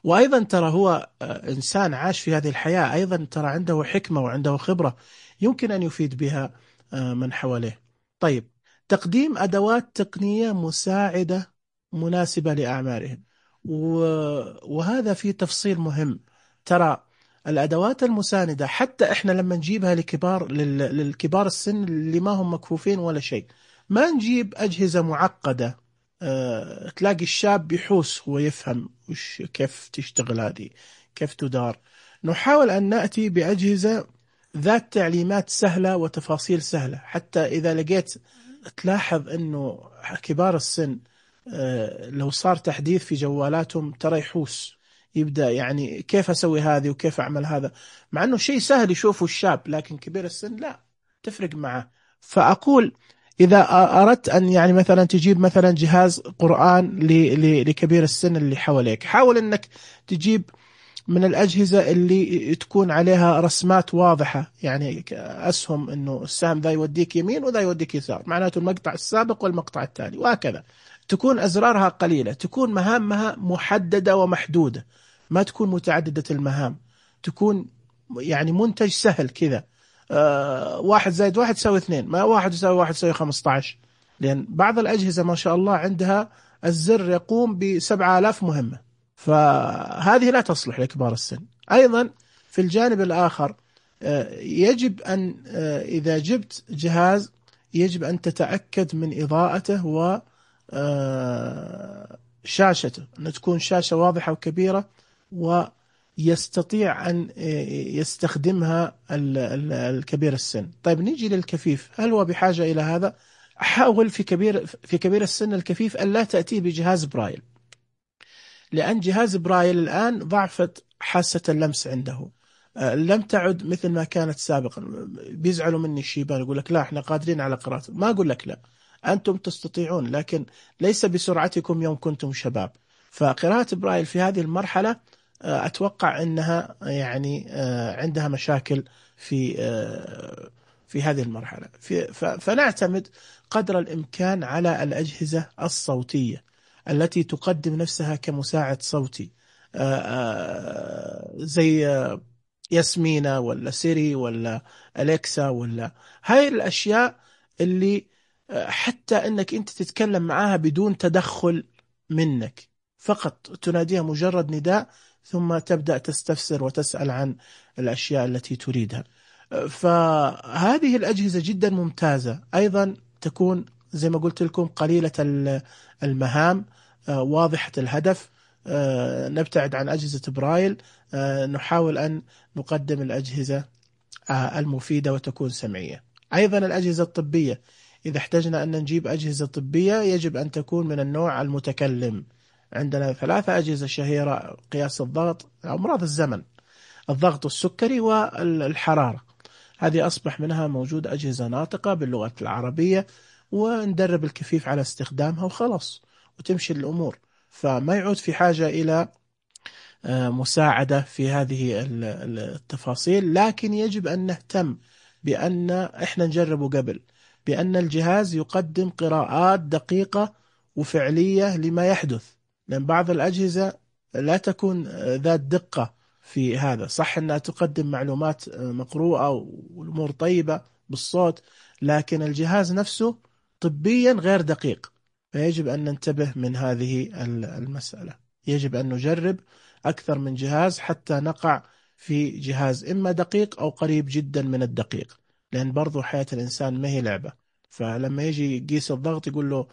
وأيضا ترى هو إنسان عاش في هذه الحياة، أيضا ترى عنده حكمة وعنده خبرة يمكن أن يفيد بها من حواليه. طيب، تقديم أدوات تقنية مساعدة مناسبة لأعمارهم، وهذا فيه تفصيل مهم. ترى الأدوات المساندة حتى إحنا لما نجيبها للكبار السن اللي ما هم مكفوفين ولا شيء، ما نجيب أجهزة معقدة. تلاقي الشاب يحوس، هو يفهم كيف تشتغل هذه، كيف تدار. نحاول أن نأتي بأجهزة ذات تعليمات سهلة وتفاصيل سهلة، حتى إذا لقيت تلاحظ أنه كبار السن لو صار تحديث في جوالاتهم ترى يحوس، يبدأ يعني كيف أسوي هذه وكيف أعمل هذا، مع أنه شيء سهل يشوفه الشاب، لكن كبير السن لا، تفرق معه. فأقول إذا أردت أن يعني مثلا تجيب مثلا جهاز قرآن لكبير السن اللي حواليك، حاول أنك تجيب من الأجهزة اللي تكون عليها رسمات واضحة، يعني أسهم أنه السهم ذا يوديك يمين وذا يوديك يسار، معناته المقطع السابق والمقطع التالي، وهكذا. تكون أزرارها قليلة، تكون مهامها محددة ومحدودة، ما تكون متعددة المهام، تكون يعني منتج سهل كذا. 1+1 يساوي 2، ما 1+1 يساوي 15. لأن بعض الأجهزة ما شاء الله عندها الزر يقوم ب7 آلاف مهمة، فهذه لا تصلح لكبار السن. أيضا في الجانب الآخر يجب أن إذا جبت جهاز يجب أن تتأكد من إضاءته و شاشته، أن تكون شاشة واضحة وكبيرة ويستطيع أن يستخدمها الكبير السن. طيب نيجي للكفيف، هل هو بحاجة إلى هذا؟ حاول في كبير السن الكفيف أن لا تأتي بجهاز برايل، لأن جهاز برايل الآن ضعفت حاسة اللمس عنده، لم تعد مثل ما كانت سابقا. بيزعلوا مني الشيبان، يقول لك لا احنا قادرين على قراءته. ما أقول لك لا، أنتم تستطيعون، لكن ليس بسرعتكم يوم كنتم شباب. فقراءة برايل في هذه المرحلة أتوقع أنها يعني عندها مشاكل في هذه المرحلة. فنعتمد قدر الإمكان على الأجهزة الصوتية التي تقدم نفسها كمساعد صوتي، زي ياسمينة ولا سيري ولا أليكسا، ولا هاي الأشياء اللي حتى أنك أنت تتكلم معها بدون تدخل منك، فقط تناديها مجرد نداء ثم تبدأ تستفسر وتسأل عن الأشياء التي تريدها. فهذه الأجهزة جدا ممتازة. أيضا تكون زي ما قلت لكم قليلة المهام، واضحة الهدف. نبتعد عن أجهزة برايل، نحاول أن نقدم الأجهزة المفيدة وتكون سمعية. أيضا الأجهزة الطبية، إذا احتجنا أن نجيب أجهزة طبية يجب أن تكون من النوع المتكلم. عندنا 3 أجهزة شهيرة: قياس الضغط، أمراض الزمن، الضغط والسكري والحرارة. هذه أصبح منها موجود أجهزة ناطقة باللغة العربية، وندرب الكفيف على استخدامها وخلاص وتمشي الأمور. فما يعود في حاجة إلى مساعدة في هذه التفاصيل. لكن يجب أن نهتم بأن إحنا نجربه قبل، بأن الجهاز يقدم قراءات دقيقة وفعلية لما يحدث، لأن بعض الأجهزة لا تكون ذات دقة في هذا. صح أنها تقدم معلومات مقروءة والأمور طيبة بالصوت، لكن الجهاز نفسه طبيا غير دقيق. فيجب أن ننتبه من هذه المسألة. يجب أن نجرب أكثر من جهاز حتى نقع في جهاز إما دقيق أو قريب جدا من الدقيق، لأن برضو حياة الإنسان ما هي لعبة. فلما يجي يقيس الضغط يقول له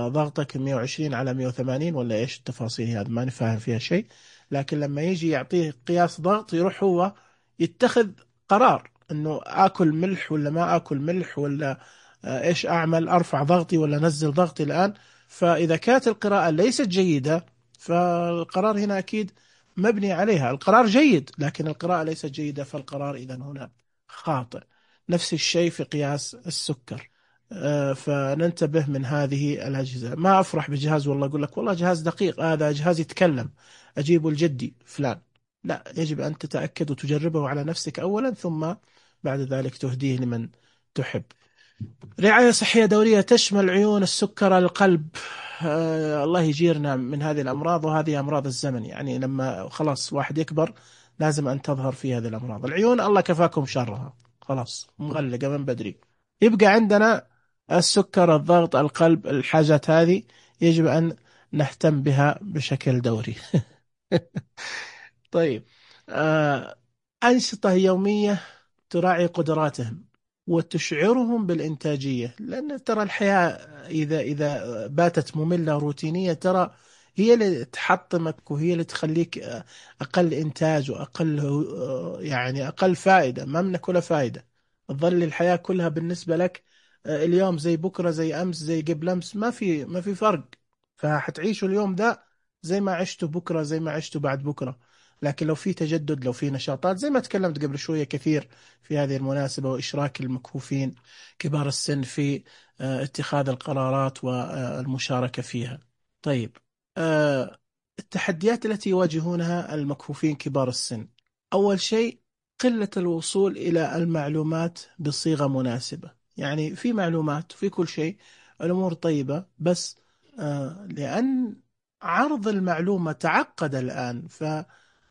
ضغطك 120 على 180 ولا إيش التفاصيل هذا، ما نفهم فيها شيء. لكن لما يجي يعطيه قياس ضغط يروح هو يتخذ قرار إنه آكل ملح ولا ما آكل ملح، ولا إيش أعمل، أرفع ضغطي ولا نزل ضغطي الآن. فإذا كانت القراءة ليست جيدة فالقرار هنا أكيد مبني عليها. القرار جيد لكن القراءة ليست جيدة، فالقرار إذا هنا خاطئ. نفس الشيء في قياس السكر. فننتبه من هذه الأجهزة. ما أفرح بجهاز والله أقول لك والله جهاز دقيق، هذا جهاز يتكلم أجيبه لجدي فلان. لا، يجب أن تتأكد وتجربه على نفسك أولا، ثم بعد ذلك تهديه لمن تحب. رعاية صحية دورية تشمل عيون، السكر، القلب. الله يجيرنا من هذه الأمراض، وهذه أمراض الزمن. يعني لما خلاص واحد يكبر لازم أن تظهر في هذه الأمراض. العيون الله كفاكم شرها، خلاص مغلقة من بدري. يبقى عندنا السكر، الضغط، القلب. الحاجات هذه يجب أن نهتم بها بشكل دوري. طيب، أنشطة يومية تراعي قدراتهم وتشعرهم بالإنتاجية، لأن ترى الحياة إذا باتت مملة روتينية ترى هي اللي تحطمك، وهي اللي تخليك أقل إنتاج وأقل يعني أقل فائدة. ما منك ولا فائدة، تظل الحياة كلها بالنسبة لك اليوم زي بكرة، زي أمس، زي قبل أمس، ما في فرق. فحتعيشوا اليوم ده زي ما عشتوا بكرة، زي ما عشتوا بعد بكرة. لكن لو في تجدد، لو في نشاطات زي ما تكلمت قبل شوية كثير في هذه المناسبة، وإشراك المكفوفين كبار السن في اتخاذ القرارات والمشاركة فيها. طيب، التحديات التي يواجهونها المكفوفين كبار السن: أول شيء قلة الوصول إلى المعلومات بصيغة مناسبة. يعني في معلومات وفي كل شيء، الأمور طيبة، بس لأن عرض المعلومة تعقد الآن،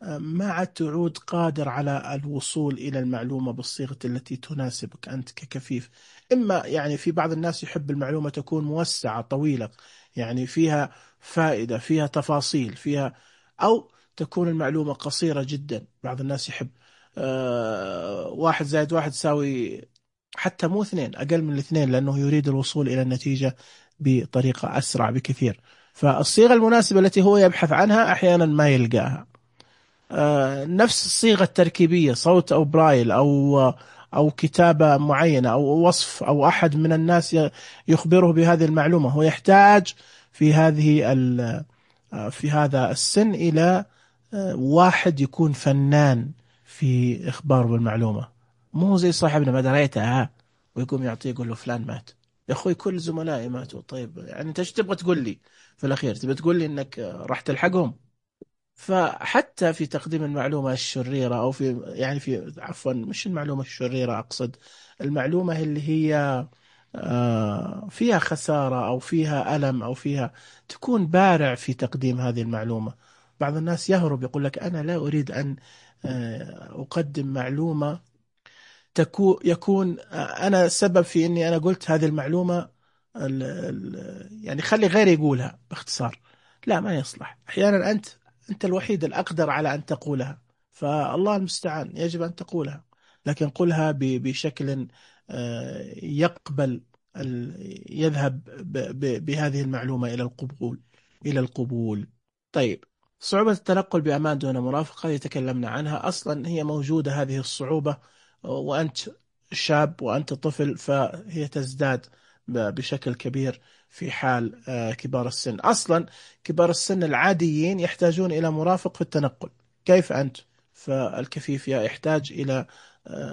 ما عاد تعود قادر على الوصول إلى المعلومة بالصيغة التي تناسبك أنت ككفيف. إما يعني في بعض الناس يحب المعلومة تكون موسعة طويلة، يعني فيها فائدة، فيها تفاصيل، فيها، أو تكون المعلومة قصيرة جدا. بعض الناس يحب واحد زائد واحد يساوي، حتى مو اثنين، أقل من الاثنين، لأنه يريد الوصول إلى النتيجة بطريقة أسرع بكثير. فالصيغة المناسبة التي هو يبحث عنها أحيانا ما يلقاها. نفس الصيغة التركيبية، صوت أو برايل أو كتابة معينة أو وصف، أو أحد من الناس يخبره بهذه المعلومة، هو يحتاج في في هذا السن إلى واحد يكون فنان في إخباره بالمعلومة. مو زي صاحبنا ما دريتها ويقوم يعطيه يقول له فلان مات. يا أخوي كل زملائي ماتوا. طيب يعني أنت ايش تبغى تقول لي في الأخير؟ تبغى تقول لي إنك راح تلحقهم؟ فحتى في تقديم المعلومة الشريرة، أو في يعني في عفوا مش المعلومة الشريرة، أقصد المعلومة اللي هي فيها خسارة أو فيها ألم أو فيها، تكون بارع في تقديم هذه المعلومة. بعض الناس يهرب يقول لك أنا لا أريد أن أقدم معلومة يكون أنا سبب في أني أنا قلت هذه المعلومة، يعني خلي غيري يقولها باختصار. لا، ما يصلح. أحيانا أنت الوحيد الأقدر على أن تقولها، فالله المستعان، يجب أن تقولها، لكن قلها بشكل يقبل يذهب بهذه المعلومة إلى القبول، إلى القبول. طيب، صعوبة التنقل بأمان دون مرافق هذه تكلمنا عنها. أصلا هي موجودة هذه الصعوبة وأنت شاب وأنت طفل، فهي تزداد بشكل كبير في حال كبار السن. أصلا كبار السن العاديين يحتاجون إلى مرافق في التنقل، كيف أنت؟ فالكفيف يحتاج إلى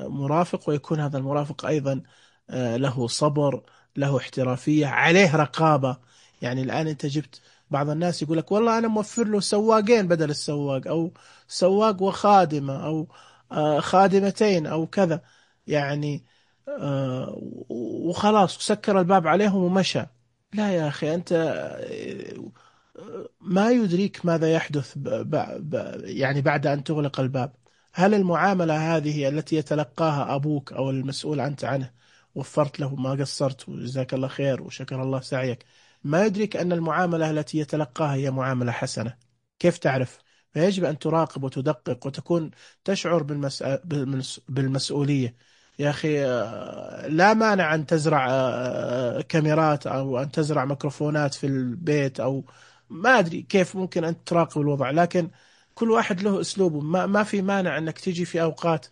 مرافق، ويكون هذا المرافق أيضا له صبر، له احترافية، عليه رقابة. يعني الآن أنت جبت بعض الناس يقول لك والله أنا موفر له سواقين بدل السواق، أو سواق وخادمة، أو خادمتين أو كذا، يعني وخلاص وسكر الباب عليهم ومشى. لا يا أخي، أنت ما يدريك ماذا يحدث يعني بعد أن تغلق الباب. هل المعاملة هذه التي يتلقاها أبوك أو المسؤول أنت عنه وفرت له؟ ما قصرت وجزاك الله خير وشكر الله سعيك. ما يدرك أن المعاملة التي يتلقاها هي معاملة حسنة. كيف تعرف؟ فيجب أن تراقب وتدقق وتكون تشعر بالمسؤولية. يا أخي لا مانع أن تزرع كاميرات أو أن تزرع ميكروفونات في البيت، أو ما أدري كيف ممكن أن تراقب الوضع، لكن كل واحد له أسلوبه. ما في مانع أنك تيجي في أوقات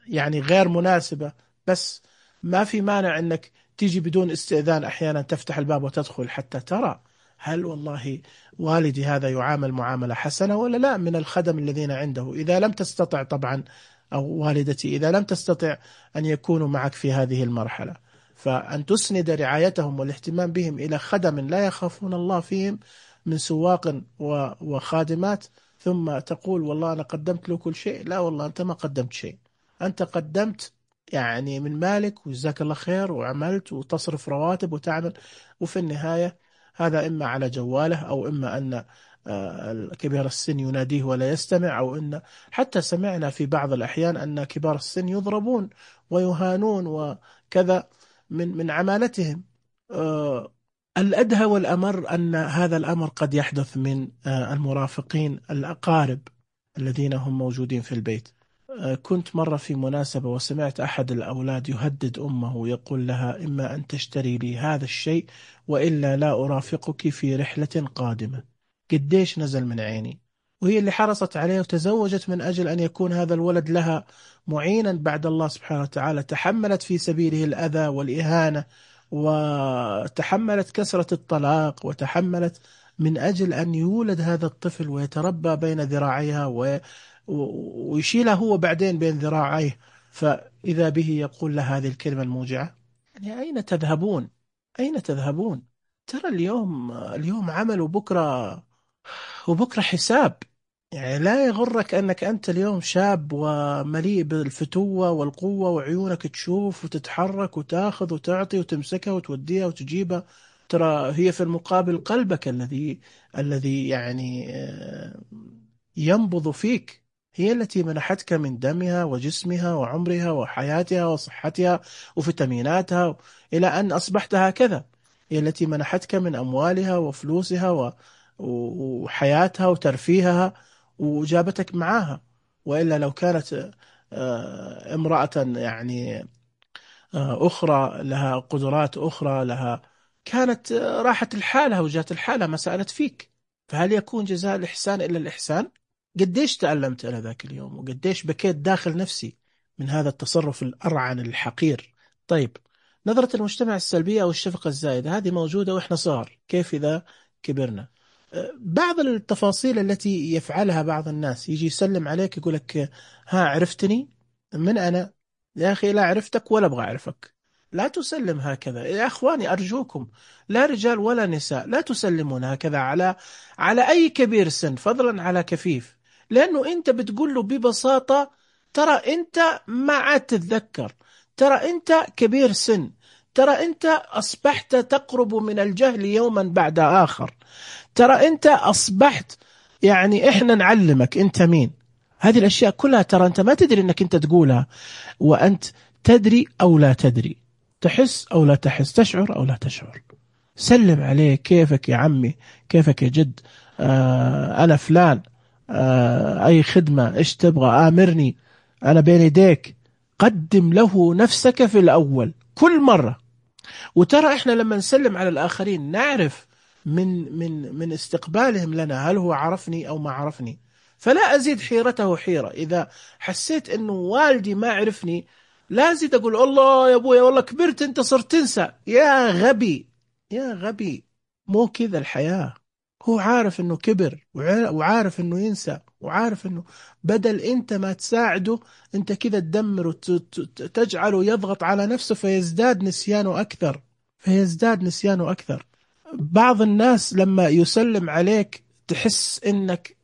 يعني غير مناسبة، بس ما في مانع أنك تيجي بدون استئذان، أحيانا تفتح الباب وتدخل حتى ترى هل والله والدي هذا يعامل معاملة حسنة ولا لا من الخدم الذين عنده. إذا لم تستطع طبعا، أو والدتي إذا لم تستطع أن يكونوا معك في هذه المرحلة، فأن تسند رعايتهم والاهتمام بهم إلى خدم لا يخافون الله فيهم من سواق وخادمات، ثم تقول والله أنا قدمت له كل شيء. لا والله، أنت ما قدمت شيء. أنت قدمت يعني من مالك وجزاك الله خير، وعملت وتصرف رواتب وتعمل، وفي النهاية هذا إما على جواله، أو إما أن كبير السن يناديه ولا يستمع، أو أن حتى سمعنا في بعض الأحيان أن كبار السن يضربون ويهانون وكذا من عمالتهم. الأدهى والأمر أن هذا الأمر قد يحدث من المرافقين الأقارب الذين هم موجودين في البيت. كنت مرة في مناسبة وسمعت أحد الأولاد يهدد أمه، يقول لها إما أن تشتري لي هذا الشيء وإلا لا أرافقك في رحلة قادمة. قديش نزل من عيني، وهي اللي حرصت عليه وتزوجت من أجل أن يكون هذا الولد لها معينا بعد الله سبحانه وتعالى. تحملت في سبيله الأذى والإهانة، وتحملت كسرة الطلاق، وتحملت من أجل أن يولد هذا الطفل ويتربى بين ذراعيها ويشيلها هو بعدين بين ذراعيه. فإذا به يقول له هذه الكلمة الموجعة. يعني أين تذهبون؟ أين تذهبون؟ ترى اليوم عمل وبكرة حساب. يعني لا يغرك أنك أنت اليوم شاب ومليء بالفتوة والقوة، وعيونك تشوف وتتحرك وتاخذ وتعطي وتمسكها وتوديها وتجيبها. ترى هي في المقابل قلبك الذي يعني ينبض فيك، هي التي منحتك من دمها وجسمها وعمرها وحياتها وصحتها وفيتاميناتها إلى أن أصبحت هكذا. هي التي منحتك من أموالها وفلوسها وحياتها وترفيهها وجابتك معاها. وإلا لو كانت امرأة يعني أخرى لها قدرات أخرى لها، كانت راحت لحالها وجات الحالة ما سألت فيك. فهل يكون جزاء الإحسان إلا الإحسان؟ قديش تألمت أنا ذاك اليوم، وقديش بكيت داخل نفسي من هذا التصرف الأرعن الحقير. طيب، نظرة المجتمع السلبية أو الشفقة الزائدة هذه موجودة وإحنا صغار، كيف إذا كبرنا؟ بعض التفاصيل التي يفعلها بعض الناس، يجي يسلم عليك يقول لك ها عرفتني؟ من أنا؟ يا أخي لا عرفتك ولا أبغى أعرفك. لا تسلم هكذا يا أخواني أرجوكم، لا رجال ولا نساء، لا تسلمون هكذا على أي كبير سن، فضلا على كفيف. لأنه أنت بتقول له ببساطة ترى أنت ما عاد تتذكر، ترى أنت كبير سن، ترى أنت أصبحت تقرب من الجهل يوما بعد آخر، ترى أنت أصبحت يعني إحنا نعلمك أنت مين. هذه الأشياء كلها ترى أنت ما تدري أنك أنت تقولها، وأنت تدري أو لا تدري، تحس أو لا تحس، تشعر أو لا تشعر. سلم عليه، كيفك يا عمي، كيفك يا جد، أنا فلان، أي خدمة، إيش تبغى، آمرني، أنا بين يديك. قدم له نفسك في الأول كل مرة. وترى إحنا لما نسلم على الآخرين نعرف من استقبالهم لنا هل هو عرفني أو ما عرفني. فلا أزيد حيرته حيرة. إذا حسيت أنه والدي ما عرفني لا أزيد أقول الله يا أبويا والله كبرت أنت صرت تنسى. يا غبي، يا غبي، مو كذا الحياة. هو عارف أنه كبر وعارف أنه ينسى، وعارف أنه بدل أنت ما تساعده أنت كذا تدمر وتجعله يضغط على نفسه فيزداد نسيانه أكثر، فيزداد نسيانه أكثر. بعض الناس لما يسلم عليك تحس إنك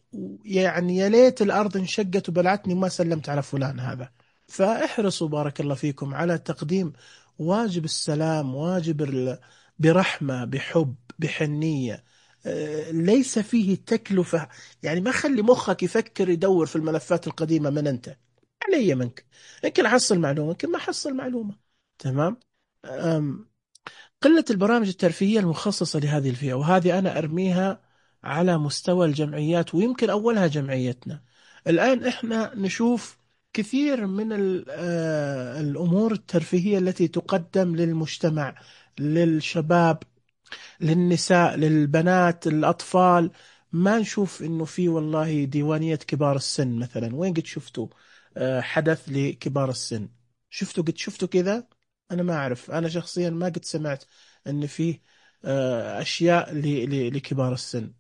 يعني يا ليت الأرض انشقت وبلعتني ما سلمت على فلان هذا. فاحرصوا بارك الله فيكم على تقديم واجب السلام، واجب برحمة، بحب، بحنية، ليس فيه تكلفة. يعني ما خلي مخك يفكر يدور في الملفات القديمة من أنت علي منك. يمكن أحصل معلومة، يمكن ما أحصل معلومة. تمام. قلة البرامج الترفيهية المخصصة لهذه الفئة، وهذه أنا أرميها على مستوى الجمعيات، ويمكن أولها جمعيتنا. الآن إحنا نشوف كثير من الأمور الترفيهية التي تقدم للمجتمع، للشباب، للنساء، للبنات، الأطفال. ما نشوف إنه في والله ديوانية كبار السن مثلا. وين قد شفتوا حدث لكبار السن؟ قد شفتوا كذا؟ أنا ما أعرف، أنا شخصيا ما قد سمعت أن فيه أشياء لكبار السن.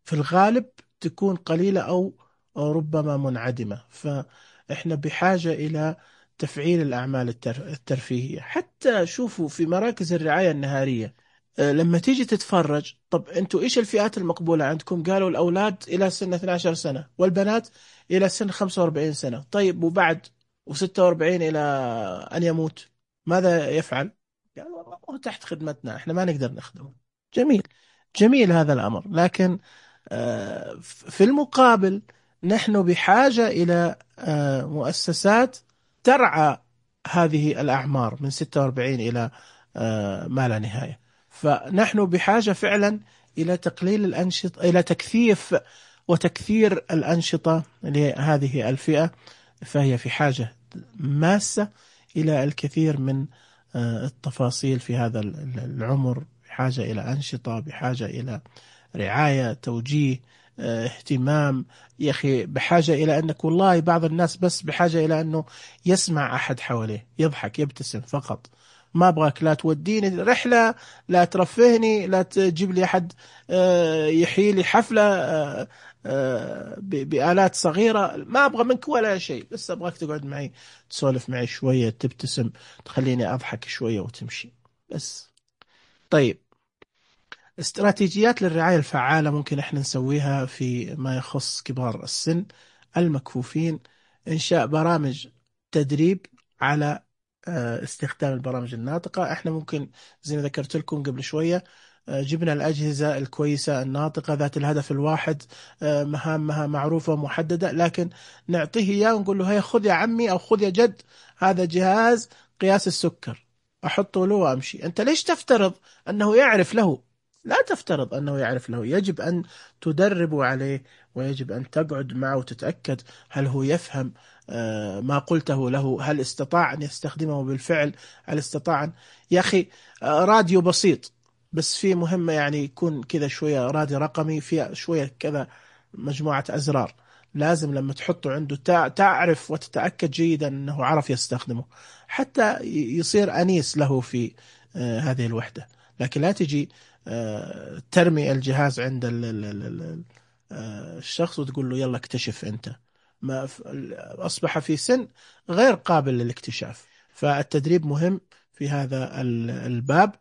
في الغالب تكون قليلة أو ربما منعدمة. فإحنا بحاجة إلى تفعيل الأعمال الترفيهية. حتى شوفوا في مراكز الرعاية النهارية، لما تيجي تتفرج، طب أنتوا إيش الفئات المقبولة عندكم؟ قالوا الأولاد إلى سن 12 سنة والبنات إلى سن 45 سنة. طيب وبعد و46 إلى أن يموت ماذا يفعل؟ قال والله هو تحت خدمتنا، احنا ما نقدر نخدمه. جميل، جميل هذا الأمر. لكن في المقابل نحن بحاجة إلى مؤسسات ترعى هذه الأعمار من 46 إلى ما لا نهاية. فنحن بحاجة فعلا إلى تقليل الأنشطة، إلى تكثيف وتكثير الأنشطة لهذه الفئة. فهي في حاجة ماسة إلى الكثير من التفاصيل في هذا العمر، بحاجة إلى أنشطة، بحاجة إلى رعاية، توجيه، اهتمام. يا أخي بحاجة إلى أنك والله بعض الناس بس بحاجة إلى أنه يسمع أحد حواليه يضحك يبتسم فقط. ما أبغاك لا توديني رحلة، لا ترفهني، لا تجيب لي أحد يحيي لي حفلة بآلات صغيرة. ما أبغى منك ولا شيء، بس أبغاك تقعد معي تسولف معي شوية، تبتسم، تخليني أضحك شوية وتمشي بس. طيب، استراتيجيات للرعاية الفعالة ممكن احنا نسويها في ما يخص كبار السن المكفوفين. إنشاء برامج تدريب على استخدام البرامج الناطقة. احنا ممكن زي ما ذكرت لكم قبل شوية جبنا الأجهزة الكويسة الناطقة ذات الهدف الواحد، مهامها معروفة ومحددة، لكن نعطيه إياه ونقول له هيا خذ يا عمي أو خذ يا جد هذا جهاز قياس السكر، أحطه له وأمشي. أنت ليش تفترض أنه يعرف له؟ لا تفترض أنه يعرف له، يجب أن تدرب عليه، ويجب أن تقعد معه وتتأكد هل هو يفهم ما قلته له، هل استطاع أن يستخدمه بالفعل، هل استطاع يا أخي راديو بسيط بس في مهمة يعني يكون كذا شوية راديو رقمي فيها شوية كذا مجموعة أزرار، لازم لما تحطه عنده تعرف وتتأكد جيدا أنه عرف يستخدمه حتى يصير أنيس له في هذه الوحدة. لكن لا تجي ترمي الجهاز عند الشخص وتقول له يلا اكتشف أنت، ما أصبح في سن غير قابل للاكتشاف. فالتدريب مهم في هذا الباب،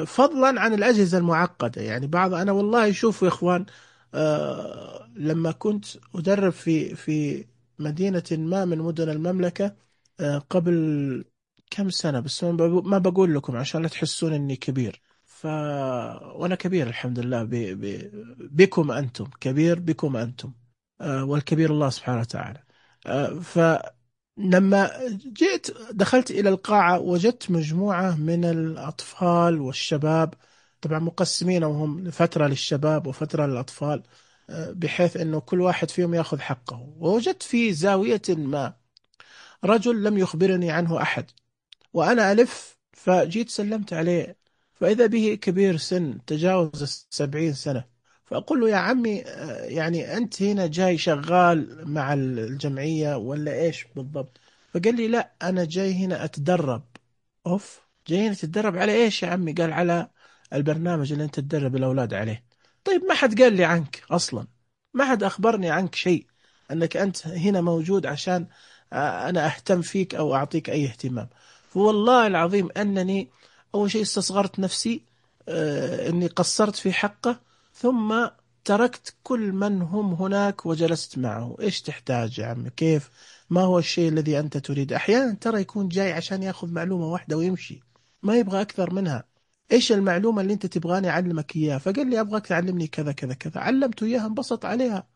فضلا عن الأجهزة المعقدة. يعني أنا والله شوفوا يا إخوان، لما كنت أدرب في مدينة ما من مدن المملكة قبل كم سنة، بس ما بقول لكم عشان لا تحسون إني كبير. وأنا كبير الحمد لله، بكم أنتم كبير، بكم أنتم، والكبير الله سبحانه وتعالى. فلما دخلت إلى القاعة وجدت مجموعة من الأطفال والشباب، طبعا مقسمين وهم فترة للشباب وفترة للأطفال، بحيث أنه كل واحد فيهم يأخذ حقه. ووجدت في زاوية ما رجل لم يخبرني عنه أحد، وأنا ألف فجيت سلمت عليه، فإذا به كبير سن تجاوز 70 سنة. فأقول له يا عمي يعني أنت هنا جاي شغال مع الجمعية ولا إيش بالضبط؟ فقال لي لا، أنا جاي هنا أتدرب. أوف، جاي هنا تتدرب على إيش يا عمي؟ قال على البرنامج اللي أنت تدرب الأولاد عليه. طيب ما حد قال لي عنك أصلا، ما حد أخبرني عنك شيء، أنك أنت هنا موجود عشان أنا أهتم فيك أو أعطيك أي اهتمام. فوالله العظيم أنني أول شيء استصغرت نفسي، أني قصرت في حقه، ثم تركت كل من هم هناك وجلست معه. إيش تحتاج يا عمي؟ كيف؟ ما هو الشيء الذي أنت تريد؟ أحيانا ترى يكون جاي عشان يأخذ معلومة واحدة ويمشي، ما يبغى أكثر منها. إيش المعلومة اللي أنت تبغاني أعلمك إياها؟ فقال لي أبغاك تعلمني كذا كذا كذا، علمته إياها انبسط عليها،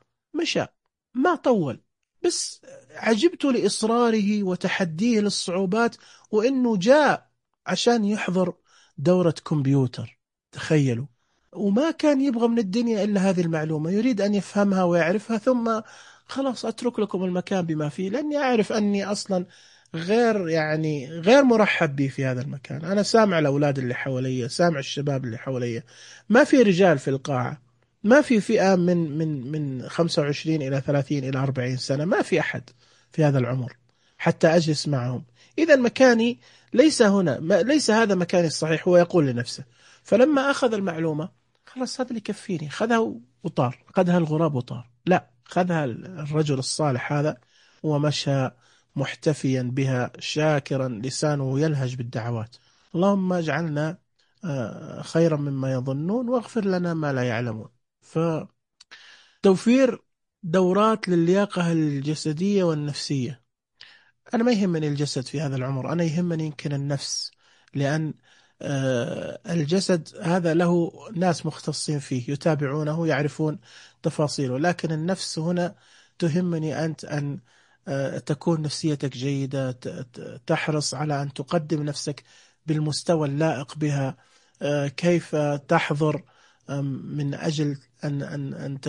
مشى، ما طول. بس عجبت لإصراره وتحديه للصعوبات، وإنه جاء عشان يحضر دورة كمبيوتر، تخيلوا، وما كان يبغى من الدنيا إلا هذه المعلومة، يريد أن يفهمها ويعرفها، ثم خلاص أترك لكم المكان بما فيه، لأني أعرف أني أصلا غير مرحب بي في هذا المكان. أنا سامع الأولاد اللي حوالي، سامع الشباب اللي حوالي، ما في رجال في القاعة، ما في فئة من 25 إلى 30 إلى 40 سنة، ما في أحد في هذا العمر حتى أجلس معهم. إذا مكاني ليس هنا، ليس هذا مكاني الصحيح، هو يقول لنفسه. فلما أخذ المعلومة خلاص هذا اللي يكفيني، خذها وطار، خذها الغراب وطار. لا، خذها الرجل الصالح هذا ومشى محتفيا بها، شاكرا، لسانه يلهج بالدعوات. اللهم اجعلنا خيرا مما يظنون، واغفر لنا ما لا يعلمون. فتوفير دورات للياقة الجسدية والنفسية. أنا ما يهمني الجسد في هذا العمر، أنا يهمني يمكن النفس، لأن الجسد هذا له ناس مختصين فيه يتابعونه يعرفون تفاصيله، لكن النفس هنا تهمني أنت أن تكون نفسيتك جيدة، تحرص على أن تقدم نفسك بالمستوى اللائق بها، كيف تحضر من أجل أن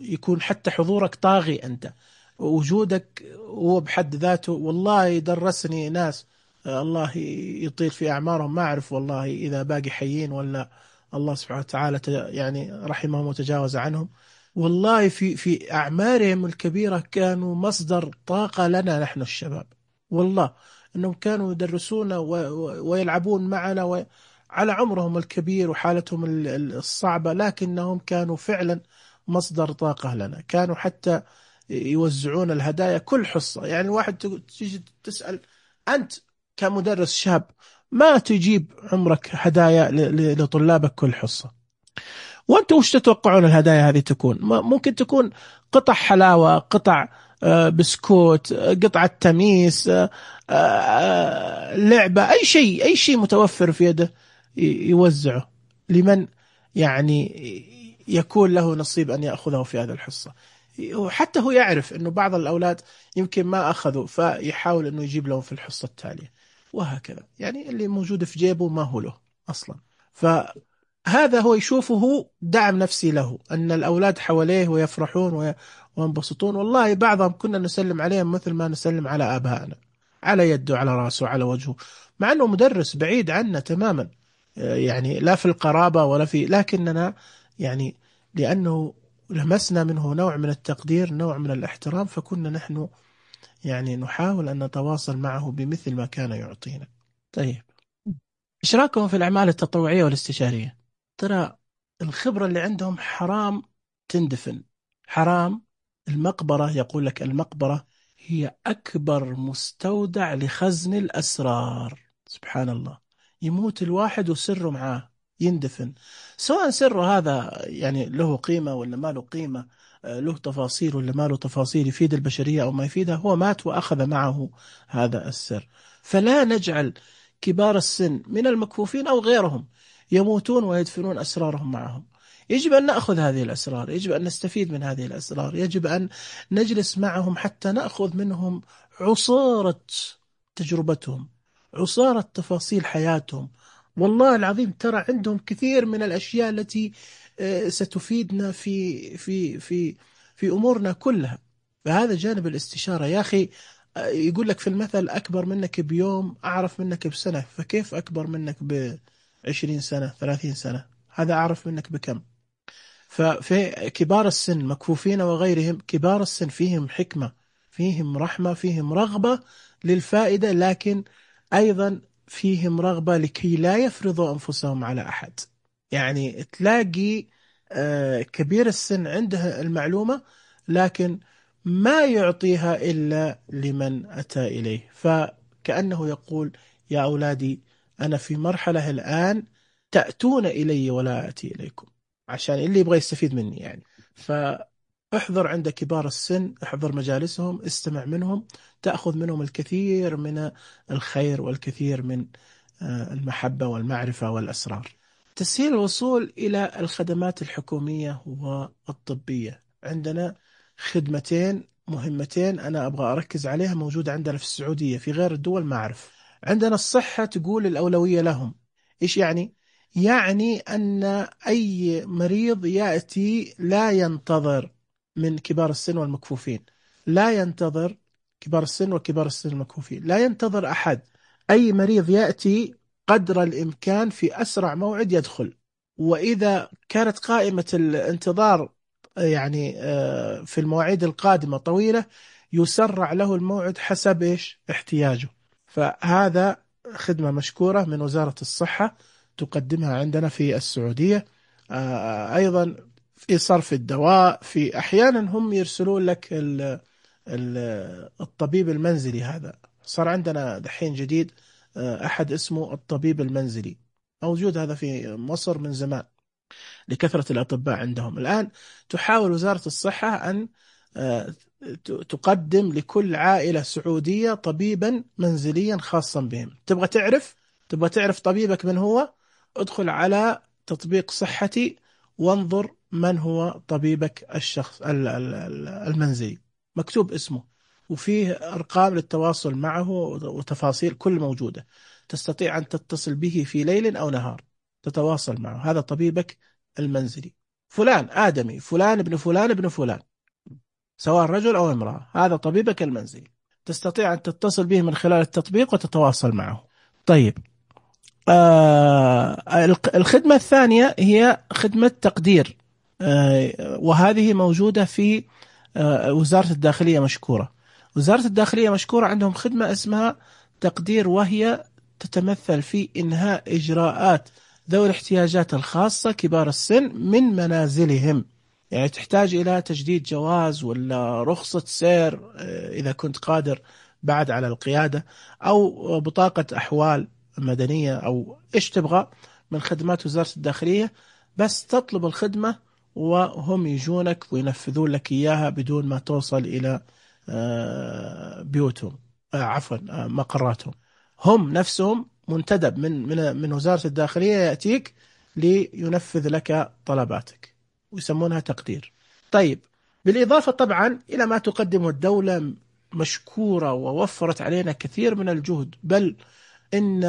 يكون حتى حضورك طاغي، أنت وجودك هو بحد ذاته. والله درسني ناس الله يطيل في أعمارهم، ما أعرف والله إذا باقي حيين ولا الله سبحانه وتعالى يعني رحمهم وتجاوز عنهم. والله في أعمارهم الكبيرة كانوا مصدر طاقة لنا نحن الشباب، والله أنهم كانوا يدرسون ويلعبون معنا على عمرهم الكبير وحالتهم الصعبة، لكنهم كانوا فعلا مصدر طاقة لنا. كانوا حتى يوزعون الهدايا كل حصة. يعني الواحد تيجي تسأل أنت كمدرس شاب، ما تجيب عمرك هدايا لطلابك كل حصة؟ وأنتم وش تتوقعون الهدايا هذه تكون؟ ممكن تكون قطع حلاوة، قطع بسكوت، قطعة تميس، لعبة، أي شيء متوفر في يده يوزعه. لمن؟ يعني يكون له نصيب أن يأخذه في هذه الحصة. وحتى هو يعرف أنه بعض الأولاد يمكن ما أخذوا، فيحاول أنه يجيب لهم في الحصة التالية، وهكذا. يعني اللي موجود في جيبه ما هو له أصلا. فهذا هو يشوفه دعم نفسي له، أن الأولاد حواليه ويفرحون وينبسطون. والله بعضهم كنا نسلم عليهم مثل ما نسلم على آبائنا، على يده، على رأسه، على وجهه، مع أنه مدرس بعيد عنا تماما، يعني لا في القرابة ولا في، لكننا يعني لأنه لمسنا منه نوع من التقدير، نوع من الاحترام، فكنا نحن يعني نحاول أن نتواصل معه بمثل ما كان يعطينا. طيب، إيش رأيكم في الأعمال التطوعية والاستشارية؟ ترى الخبرة اللي عندهم حرام تندفن، حرام. المقبرة، يقول لك المقبرة هي أكبر مستودع لخزن الأسرار. سبحان الله، يموت الواحد وسره معاه يندفن، سواء سره هذا يعني له قيمة ولا ما له قيمة، له تفاصيل ولا ما له تفاصيل، يفيد البشرية أو ما يفيدها، هو مات وأخذ معه هذا السر. فلا نجعل كبار السن من المكفوفين أو غيرهم يموتون ويدفنون أسرارهم معهم. يجب أن نأخذ هذه الأسرار، يجب أن نستفيد من هذه الأسرار، يجب أن نجلس معهم حتى نأخذ منهم عصارة تجربتهم، عصارة تفاصيل حياتهم. والله العظيم ترى عندهم كثير من الأشياء التي ستفيدنا في أمورنا كلها. فهذا جانب الاستشارة يا أخي. يقول لك في المثل: أكبر منك بيوم أعرف منك بسنة. فكيف أكبر منك ب20 سنة 30 سنة؟ هذا أعرف منك بكم؟ ففي كبار السن مكفوفين وغيرهم، كبار السن فيهم حكمة، فيهم رحمة، فيهم رغبة للفائدة، لكن أيضا فيهم رغبة لكي لا يفرضوا أنفسهم على أحد. يعني تلاقي كبير السن عنده المعلومة، لكن ما يعطيها إلا لمن أتى إليه. فكأنه يقول: يا أولادي، أنا في مرحلة الآن تأتون إلي ولا أتي إليكم، عشان اللي يبغى يستفيد مني يعني. فاحضر عند كبار السن، احضر مجالسهم، استمع منهم، تأخذ منهم الكثير من الخير والكثير من المحبة والمعرفة والأسرار. تسهيل الوصول إلى الخدمات الحكومية والطبية. عندنا خدمتين مهمتين أنا أبغى أركز عليها، موجودة عندنا في السعودية، في غير الدول ما أعرف. عندنا الصحة تقول الأولوية لهم. إيش يعني؟ يعني أن أي مريض يأتي لا ينتظر، من كبار السن والمكفوفين لا ينتظر، كبار السن وكبار السن المكفوفين لا ينتظر أحد. أي مريض يأتي قدر الإمكان في أسرع موعد يدخل. وإذا كانت قائمة الانتظار يعني في المواعيد القادمة طويلة، يسرع له الموعد حسب إيش احتياجه. فهذا خدمة مشكورة من وزارة الصحة تقدمها عندنا في السعودية. أيضا في صرف الدواء، في أحيانا هم يرسلون لك الطبيب المنزلي. هذا صار عندنا دحين جديد، أحد اسمه الطبيب المنزلي، موجود هذا في مصر من زمان لكثرة الأطباء عندهم. الآن تحاول وزارة الصحة أن تقدم لكل عائلة سعودية طبيبا منزليا خاصا بهم. تبغى تعرف طبيبك من هو؟ ادخل على تطبيق صحتي وانظر من هو طبيبك الشخص المنزلي، مكتوب اسمه وفيه أرقام للتواصل معه وتفاصيل كل موجودة. تستطيع أن تتصل به في ليل أو نهار، تتواصل معه. هذا طبيبك المنزلي، فلان آدمي، فلان ابن فلان ابن فلان، سواء رجل أو امرأة، هذا طبيبك المنزلي. تستطيع أن تتصل به من خلال التطبيق وتتواصل معه. طيب، الخدمة الثانية هي خدمة تقدير، وهذه موجودة في وزارة الداخلية مشكورة. وزارة الداخلية مشكورة عندهم خدمة اسمها تقدير، وهي تتمثل في إنهاء إجراءات ذوي الاحتياجات الخاصة كبار السن من منازلهم. يعني تحتاج إلى تجديد جواز ولا رخصة سير إذا كنت قادر بعد على القيادة، أو بطاقة أحوال مدنية، أو إيش تبغى من خدمات وزارة الداخلية. بس تطلب الخدمة وهم يجونك وينفذون لك إياها بدون ما توصل إلى بيوتهم، عفوا مقراتهم. هم نفسهم منتدب من وزارة الداخلية يأتيك لينفذ لك طلباتك، ويسمونها تقدير. طيب، بالإضافة طبعا إلى ما تقدمه الدولة مشكورة ووفرت علينا كثير من الجهد، بل إن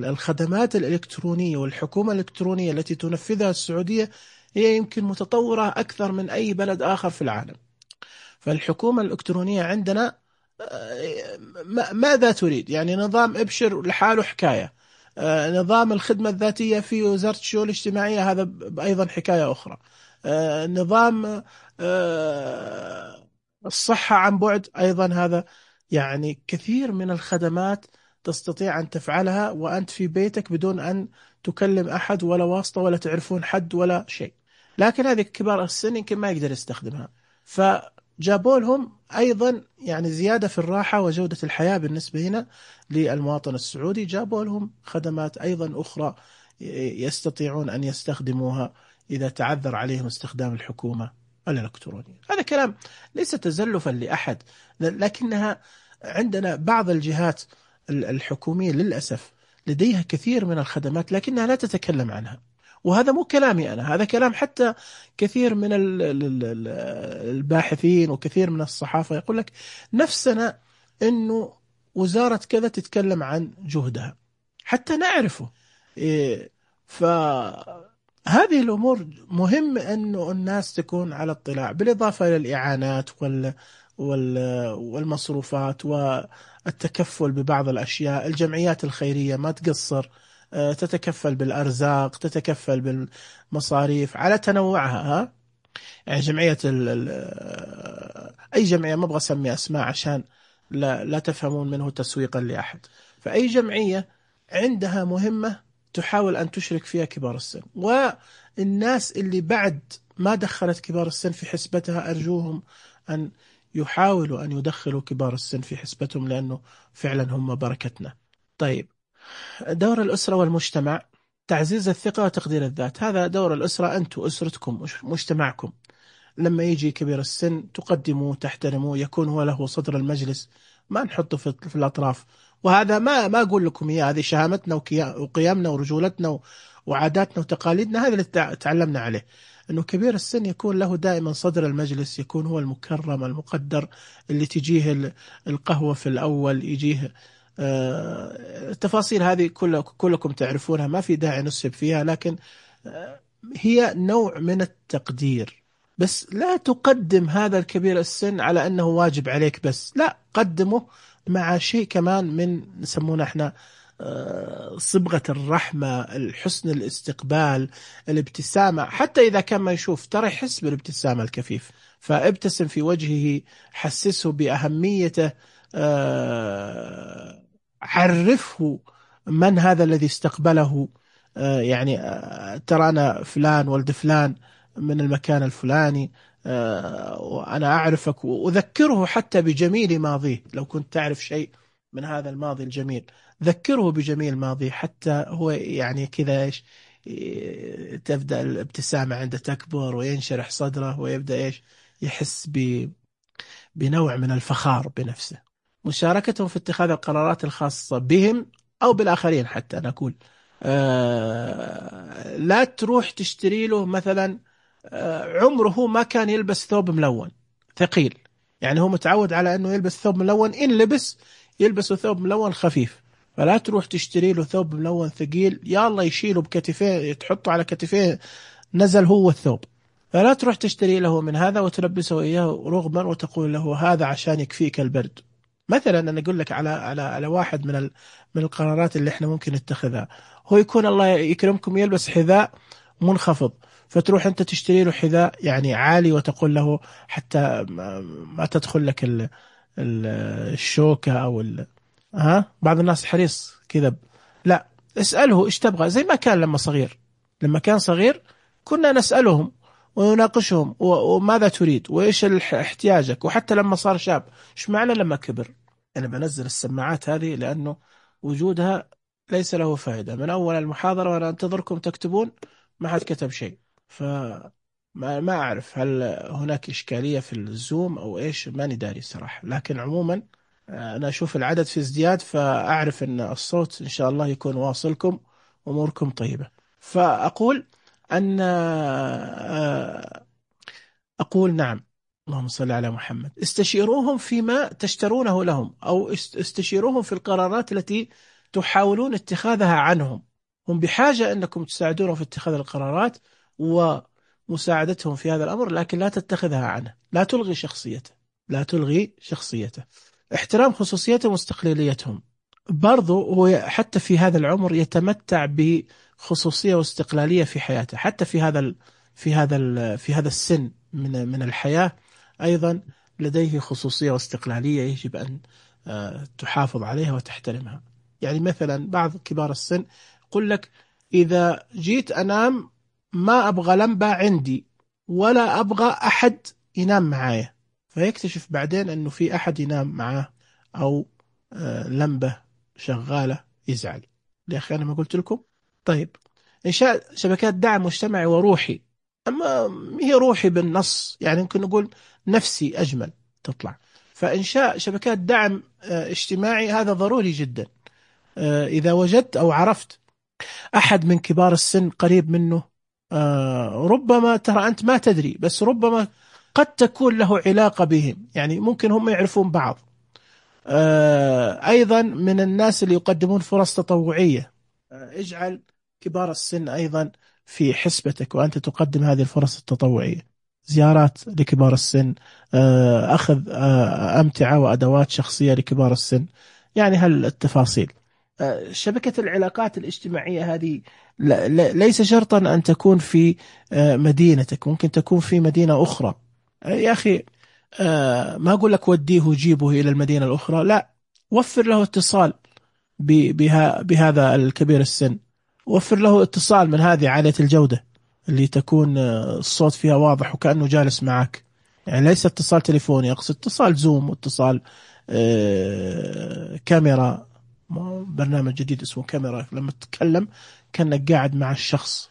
الخدمات الإلكترونية والحكومة الإلكترونية التي تنفذها السعودية هي يمكن متطورة أكثر من أي بلد آخر في العالم. فالحكومة الإلكترونية عندنا ماذا تريد؟ يعني نظام ابشر لحاله حكاية، نظام الخدمة الذاتية في وزارة الشؤون الاجتماعية هذا أيضا حكاية أخرى، نظام الصحة عن بعد أيضا هذا. يعني كثير من الخدمات تستطيع أن تفعلها وأنت في بيتك بدون أن تكلم أحد ولا واسطة ولا تعرفون حد ولا شيء. لكن هذه كبار السن يمكن ما يقدر يستخدمها، فجابوا لهم أيضا يعني زيادة في الراحة وجودة الحياة بالنسبة هنا للمواطن السعودي، جابوا لهم خدمات أيضا أخرى يستطيعون أن يستخدموها إذا تعذر عليهم استخدام الحكومة الإلكترونية. هذا كلام ليس تزلفا لأحد، لكنها عندنا بعض الجهات الحكومية للأسف لديها كثير من الخدمات لكنها لا تتكلم عنها. وهذا مو كلامي أنا، هذا كلام حتى كثير من الباحثين وكثير من الصحافة يقول لك نفسنا أنه وزارة كذا تتكلم عن جهدها حتى نعرفه. فهذه الأمور مهم أنه الناس تكون على اطلاع، بالإضافة إلى الإعانات والمصروفات والتكفل ببعض الأشياء. الجمعيات الخيرية ما تقصر، تتكفل بالأرزاق، تتكفل بالمصاريف على تنوعها. يعني جمعية أي جمعية، ما أبغى أسمي أسماء عشان لا تفهمون منه تسويقا لأحد، فأي جمعية عندها مهمة تحاول أن تشرك فيها كبار السن، والناس اللي بعد ما دخلت كبار السن في حسبتها أرجوهم أن يحاولوا أن يدخلوا كبار السن في حسبتهم، لأنه فعلا هم بركتنا. طيب، دور الأسرة والمجتمع، تعزيز الثقة وتقدير الذات. هذا دور الأسرة، أنتم أسرتكم مجتمعكم. لما يجي كبير السن تقدموه تحترموه، يكون هو له صدر المجلس، ما نحطه في الأطراف. وهذا ما أقول لكم إياه، هذه شهامتنا وقيمنا ورجولتنا وعاداتنا وتقاليدنا، هذا اللي تعلمنا عليه، أنه كبير السن يكون له دائما صدر المجلس، يكون هو المكرم المقدر، اللي تجيه القهوة في الأول، يجيه التفاصيل هذه كلكم تعرفونها، ما في داعي نسب فيها، لكن هي نوع من التقدير. بس لا تقدم هذا الكبير السن على أنه واجب عليك بس، لا، قدمه مع شيء كمان من نسمونه احنا صبغة الرحمة، الحسن الاستقبال، الابتسامة. حتى إذا كان ما يشوف ترى يحس بالابتسامة الكفيف، فابتسم في وجهه، حسسه بأهميته، عرفه من هذا الذي استقبله، يعني ترى أنا فلان ولد فلان من المكان الفلاني، وأنا أعرفك، وأذكره حتى بجميل ماضيه. لو كنت تعرف شيء من هذا الماضي الجميل ذكره بجميل ماضيه، حتى هو يعني كذا إيش، تبدأ الابتسامة عنده تكبر وينشرح صدره ويبدأ إيش، يحس بنوع من الفخار بنفسه. مشاركتهم في اتخاذ القرارات الخاصة بهم أو بالآخرين. حتى أنا أقول لا تروح تشتري له مثلا، عمره ما كان يلبس ثوب ملون ثقيل، يعني هو متعود على أنه يلبس ثوب ملون، إن لبس يلبس ثوب ملون خفيف، فلا تروح تشتري له ثوب ملون ثقيل، يا الله يشيله بكتفيه، تحطه على كتفيه نزل هو الثوب. فلا تروح تشتري له من هذا وتلبسه إياه رغما وتقول له هذا عشان يكفيك البرد. مثلا أنا أقول لك على واحد من القرارات اللي احنا ممكن نتخذها، هو يكون الله يكرمكم يلبس حذاء منخفض، فتروح أنت تشتري له حذاء يعني عالي وتقول له حتى ما تدخل لك الشوكة أو بعض الناس حريص كذا. لا، اسأله إيش تبغى، زي ما كان لما كان صغير كنا نسألهم ونناقشهم وماذا تريد وإيش احتياجك، وحتى لما صار شاب إيش معنى لما كبر. أنا بنزل السماعات هذه لأنه وجودها ليس له فائدة. من أول المحاضرة وأنا أنتظركم تكتبون ما حد كتب شيء، فما أعرف هل هناك إشكالية في الزوم أو إيش، ماني داري صراحة. لكن عموما أنا أشوف العدد في ازدياد، فأعرف أن الصوت إن شاء الله يكون واصلكم، أموركم طيبة. فأقول أن أقول نعم، اللهم صل على محمد، استشيروهم فيما تشترونه لهم، أو استشيروهم في القرارات التي تحاولون اتخاذها عنهم. هم بحاجة أنكم تساعدونهم في اتخاذ القرارات ومساعدتهم في هذا الأمر، لكن لا تتخذها عنه، لا تلغي شخصيته، لا تلغي شخصيته. احترام خصوصيتهم واستقلاليتهم. برضو هو حتى في هذا العمر يتمتع بخصوصية واستقلالية في حياته، حتى في هذا السن من الحياة أيضا لديه خصوصية واستقلالية يجب أن تحافظ عليها وتحترمها. يعني مثلا بعض كبار السن يقول لك إذا جيت أنام ما أبغى لمبة عندي ولا أبغى أحد ينام معايا، فيكتشف بعدين أنه في أحد ينام معاه أو لمبة شغالة يزعل. يا أخي أنا ما قلت لكم؟ طيب، إنشاء شبكات دعم مجتمعي وروحي. أما هي روحي بالنص، يعني ممكن نقول نفسي أجمل تطلع. فإنشاء شبكات دعم اجتماعي هذا ضروري جدا. إذا وجدت أو عرفت أحد من كبار السن قريب منه، ربما ترى أنت ما تدري، بس ربما قد تكون له علاقة بهم، يعني ممكن هم يعرفون بعض. أيضا من الناس اللي يقدمون فرص تطوعية، اجعل كبار السن أيضا في حسبتك وأنت تقدم هذه الفرص التطوعية. زيارات لكبار السن، أخذ أمتعة وأدوات شخصية لكبار السن، يعني هالتفاصيل. شبكة العلاقات الاجتماعية هذه ليس شرطا أن تكون في مدينتك، ممكن تكون في مدينة أخرى. يا أخي ما أقول لك وديه وجيبه إلى المدينة الأخرى، لا، وفر له اتصال بهذا الكبير السن، وفر له اتصال من هذه عالية الجودة اللي تكون الصوت فيها واضح وكأنه جالس معك، يعني ليس اتصال تليفوني، أقصد اتصال زوم واتصال كاميرا، برنامج جديد اسمه كاميرا، لما تتكلم كأنك قاعد مع الشخص.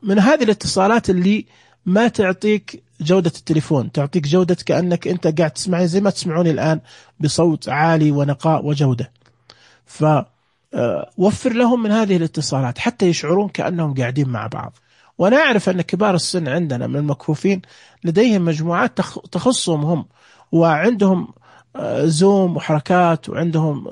من هذه الاتصالات اللي ما تعطيك جودة التليفون، تعطيك جودة كأنك أنت قاعد تسمعني زي ما تسمعوني الآن بصوت عالي ونقاء وجودة. فوفر لهم من هذه الاتصالات حتى يشعرون كأنهم قاعدين مع بعض. وأنا أعرف أن كبار السن عندنا من المكفوفين لديهم مجموعات تخصهم هم، وعندهم زوم وحركات، وعندهم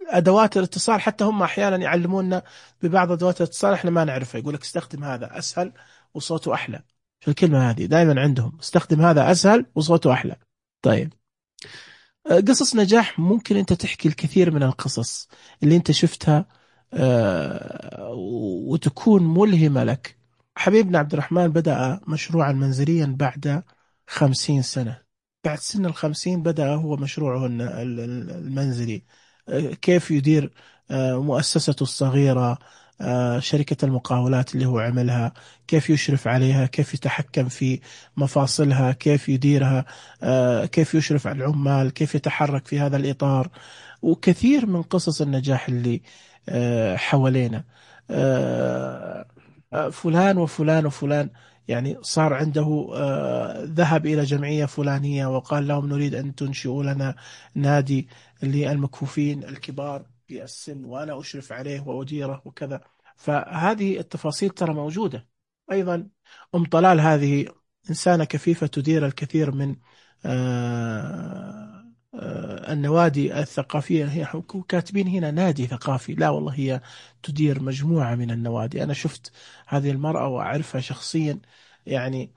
ادوات الاتصال، حتى هم احيانا يعلمونا ببعض ادوات الاتصال احنا ما نعرفها، يقول لك استخدم هذا اسهل وصوته احلى. في الكلمه هذه دائما عندهم استخدم هذا اسهل وصوته احلى. طيب، قصص نجاح، ممكن انت تحكي الكثير من القصص اللي انت شفتها وتكون ملهمه لك. حبيبنا عبد الرحمن بدأ مشروعا منزليا بعد 50 سنة، بعد سن 50 بدأ هو مشروعه المنزلي. كيف يدير مؤسسته الصغيرة، شركة المقاولات اللي هو عملها، كيف يشرف عليها، كيف يتحكم في مفاصلها، كيف يديرها، كيف يشرف على العمال، كيف يتحرك في هذا الإطار. وكثير من قصص النجاح اللي حوالينا. فلان وفلان وفلان، يعني صار عنده ذهب إلى جمعية فلانية وقال لهم نريد أن تنشئوا لنا نادي للمكفوفين الكبار في السن، وأنا أشرف عليه وأديره وكذا. فهذه التفاصيل ترى موجودة. أيضا أم طلال هذه إنسانة كفيفة تدير الكثير من النوادي الثقافية. هي كاتبين هنا نادي ثقافي، لا والله هي تدير مجموعة من النوادي. أنا شفت هذه المرأة وأعرفها شخصيا، يعني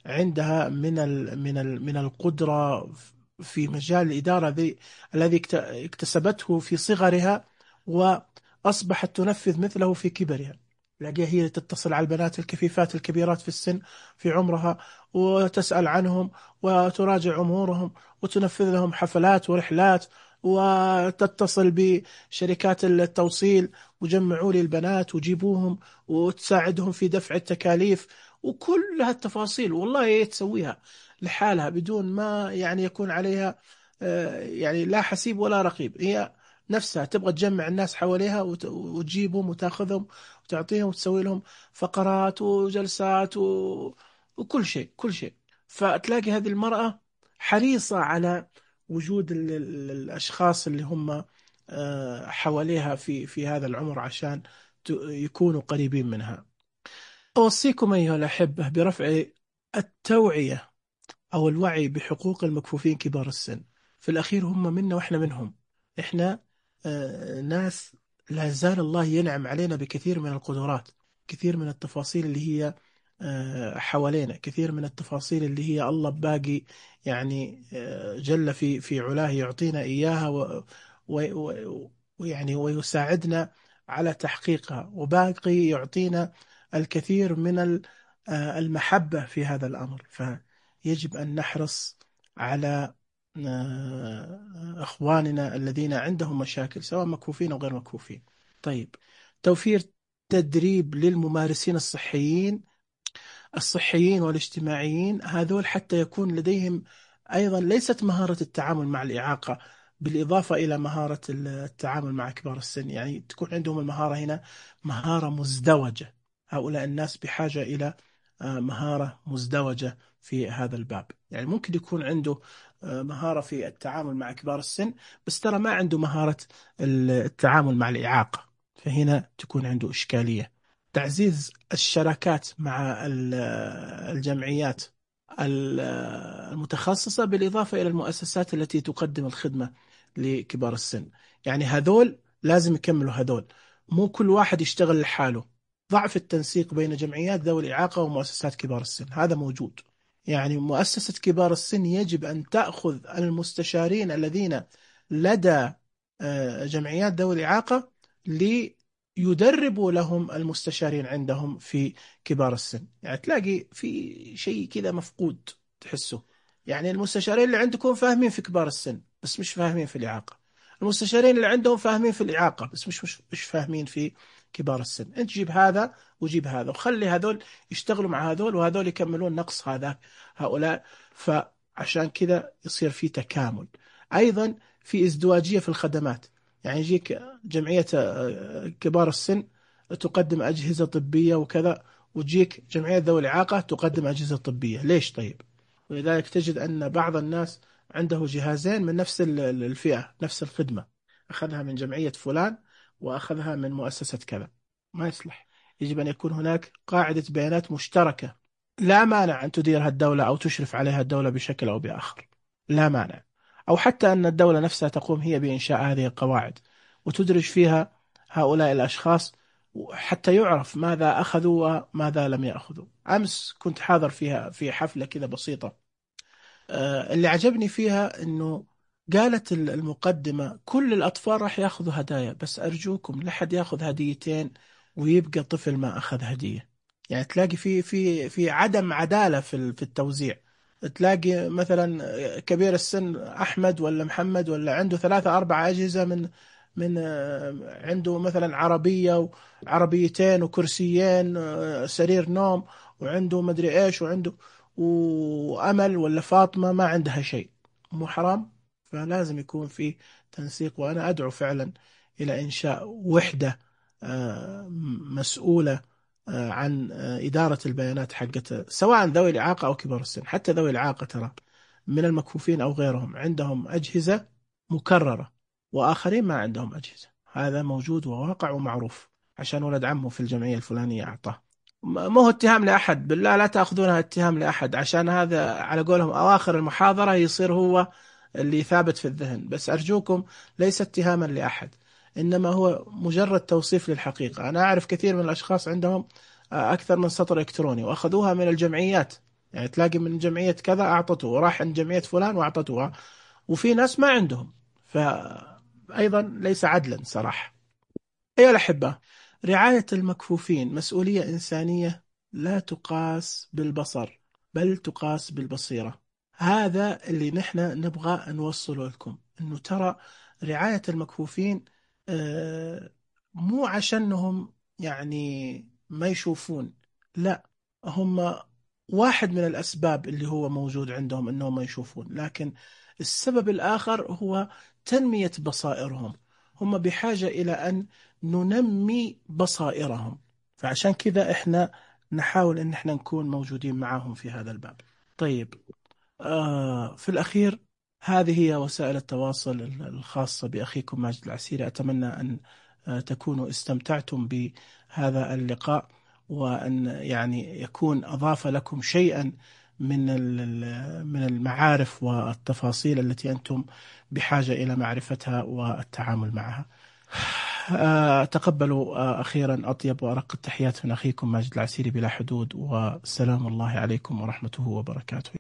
عندها من القدرة في مجال الإدارة الذي اكتسبته في صغرها وأصبحت تنفذ مثله في كبرها. تلاقيها هي تتصل على البنات الكفيفات الكبيرات في السن في عمرها وتسأل عنهم وتراجع أمورهم وتنفذ لهم حفلات ورحلات، وتتصل بشركات التوصيل وجمعوا لي البنات وجيبوهم وتساعدهم في دفع التكاليف، وكل هالتفاصيل والله هي تسويها لحالها بدون ما يعني يكون عليها يعني لا حسيب ولا رقيب. هي نفسها تبغى تجمع الناس حواليها وتجيبهم وتاخذهم وتعطيهم وتسوي لهم فقرات وجلسات وكل شيء كل شيء. فتلاقي هذه المرأة حريصة على وجود الأشخاص اللي هم حواليها في هذا العمر عشان يكونوا قريبين منها. أوصيكم أيها الأحبة برفع التوعية أو الوعي بحقوق المكفوفين كبار السن. في الأخير هم منا وإحنا منهم. إحنا ناس لا زال الله ينعم علينا بكثير من القدرات، كثير من التفاصيل اللي هي حوالينا، كثير من التفاصيل اللي هي الله باقي يعني جل في علاه يعطينا إياها ويعني ويساعدنا على تحقيقها، وباقي يعطينا الكثير من المحبة في هذا الأمر. فيجب أن نحرص على أخواننا الذين عندهم مشاكل سواء مكفوفين أو غير مكفوفين. طيب، توفير تدريب للممارسين الصحيين والاجتماعيين، هذول حتى يكون لديهم أيضا ليست مهارة التعامل مع الإعاقة بالإضافة إلى مهارة التعامل مع كبار السن، يعني تكون عندهم المهارة هنا مهارة مزدوجة. هؤلاء الناس بحاجة إلى مهارة مزدوجة في هذا الباب. يعني ممكن يكون عنده مهارة في التعامل مع كبار السن، بس ترى ما عنده مهارة التعامل مع الإعاقة، فهنا تكون عنده إشكالية. تعزيز الشراكات مع الجمعيات المتخصصة بالإضافة إلى المؤسسات التي تقدم الخدمة لكبار السن. يعني هذول لازم يكملوا هذول، مو كل واحد يشتغل لحاله. ضعف التنسيق بين جمعيات ذوي الإعاقة ومؤسسات كبار السن هذا موجود. يعني مؤسسة كبار السن يجب أن تأخذ المستشارين الذين لدى جمعيات ذوي الإعاقة ليدربوا لهم المستشارين عندهم في كبار السن. يعني تلاقي في شيء كذا مفقود تحسه، يعني المستشارين اللي عندكم فاهمين في كبار السن بس مش فاهمين في الإعاقة، المستشارين اللي عندهم فاهمين في الإعاقة بس مش فاهمين في كبار السن. انت جيب هذا وجيب هذا وخلي هذول يشتغلوا مع هذول وهذول يكملون نقص هؤلاء، فعشان كذا يصير في تكامل. أيضا في ازدواجية في الخدمات. يعني يجيك جمعية كبار السن تقدم أجهزة طبية وكذا، وتجيك جمعية ذوي الإعاقة تقدم أجهزة طبية. ليش طيب؟ ولذلك تجد أن بعض الناس عنده جهازين من نفس الفئة، نفس الخدمة، أخذها من جمعية فلان وأخذها من مؤسسة كذا. ما يصلح. يجب أن يكون هناك قاعدة بيانات مشتركة، لا مانع أن تديرها الدولة أو تشرف عليها الدولة بشكل أو بآخر، لا مانع. أو حتى أن الدولة نفسها تقوم هي بإنشاء هذه القواعد وتدرج فيها هؤلاء الأشخاص حتى يعرف ماذا أخذوا وماذا لم يأخذوا. أمس كنت حاضر فيها في حفلة كذا بسيطة، اللي عجبني فيها أنه قالت المقدمة كل الأطفال راح يأخذوا هدايا، بس أرجوكم لا حد يأخذ هديتين ويبقى طفل ما أخذ هدية. يعني تلاقي في عدم عدالة في التوزيع. تلاقي مثلا كبير السن أحمد ولا محمد ولا عنده 3 4 أجهزة من عنده مثلا عربية وعربيتين وكرسيين سرير نوم، وعنده مدري إيش، وعنده وأمل ولا فاطمة ما عندها شيء. مو حرام؟ فلازم يكون في تنسيق. وأنا أدعو فعلا إلى إنشاء وحدة مسؤولة عن إدارة البيانات حقت سواء ذوي الإعاقة أو كبار السن. حتى ذوي الإعاقة ترى من المكفوفين أو غيرهم عندهم أجهزة مكررة وآخرين ما عندهم أجهزة. هذا موجود وواقع ومعروف، عشان ولد عمه في الجمعية الفلانية أعطاه. مو هو اتهام لأحد، بالله لا تأخذونها اتهام لأحد، عشان هذا على قولهم أواخر المحاضرة يصير هو اللي ثابت في الذهن. بس أرجوكم ليس اتهاما لأحد، إنما هو مجرد توصيف للحقيقة. أنا أعرف كثير من الأشخاص عندهم أكثر من سطر إلكتروني وأخذوها من الجمعيات. يعني تلاقي من جمعية كذا أعطته، وراح عند جمعية فلان وأعطتوها، وفي ناس ما عندهم. فأيضا ليس عدلا صراحة. أيها الأحبة، رعاية المكفوفين مسؤولية إنسانية لا تقاس بالبصر بل تقاس بالبصيرة. هذا اللي نحن نبغى نوصله لكم، أنه ترى رعاية المكفوفين مو عشانهم يعني ما يشوفون، لا، هم واحد من الأسباب اللي هو موجود عندهم أنهم ما يشوفون، لكن السبب الآخر هو تنمية بصائرهم. هم بحاجة إلى أن ننمي بصائرهم، فعشان كذا إحنا نحاول أن إحنا نكون موجودين معهم في هذا الباب. طيب، في الأخير هذه هي وسائل التواصل الخاصة بأخيكم ماجد العسيري. أتمنى أن تكونوا استمتعتم بهذا اللقاء، وأن يعني يكون أضاف لكم شيئا من المعارف والتفاصيل التي أنتم بحاجة إلى معرفتها والتعامل معها. تقبلوا أخيرا أطيب وأرق التحيات من أخيكم ماجد العسيري بلا حدود، وسلام الله عليكم ورحمته وبركاته.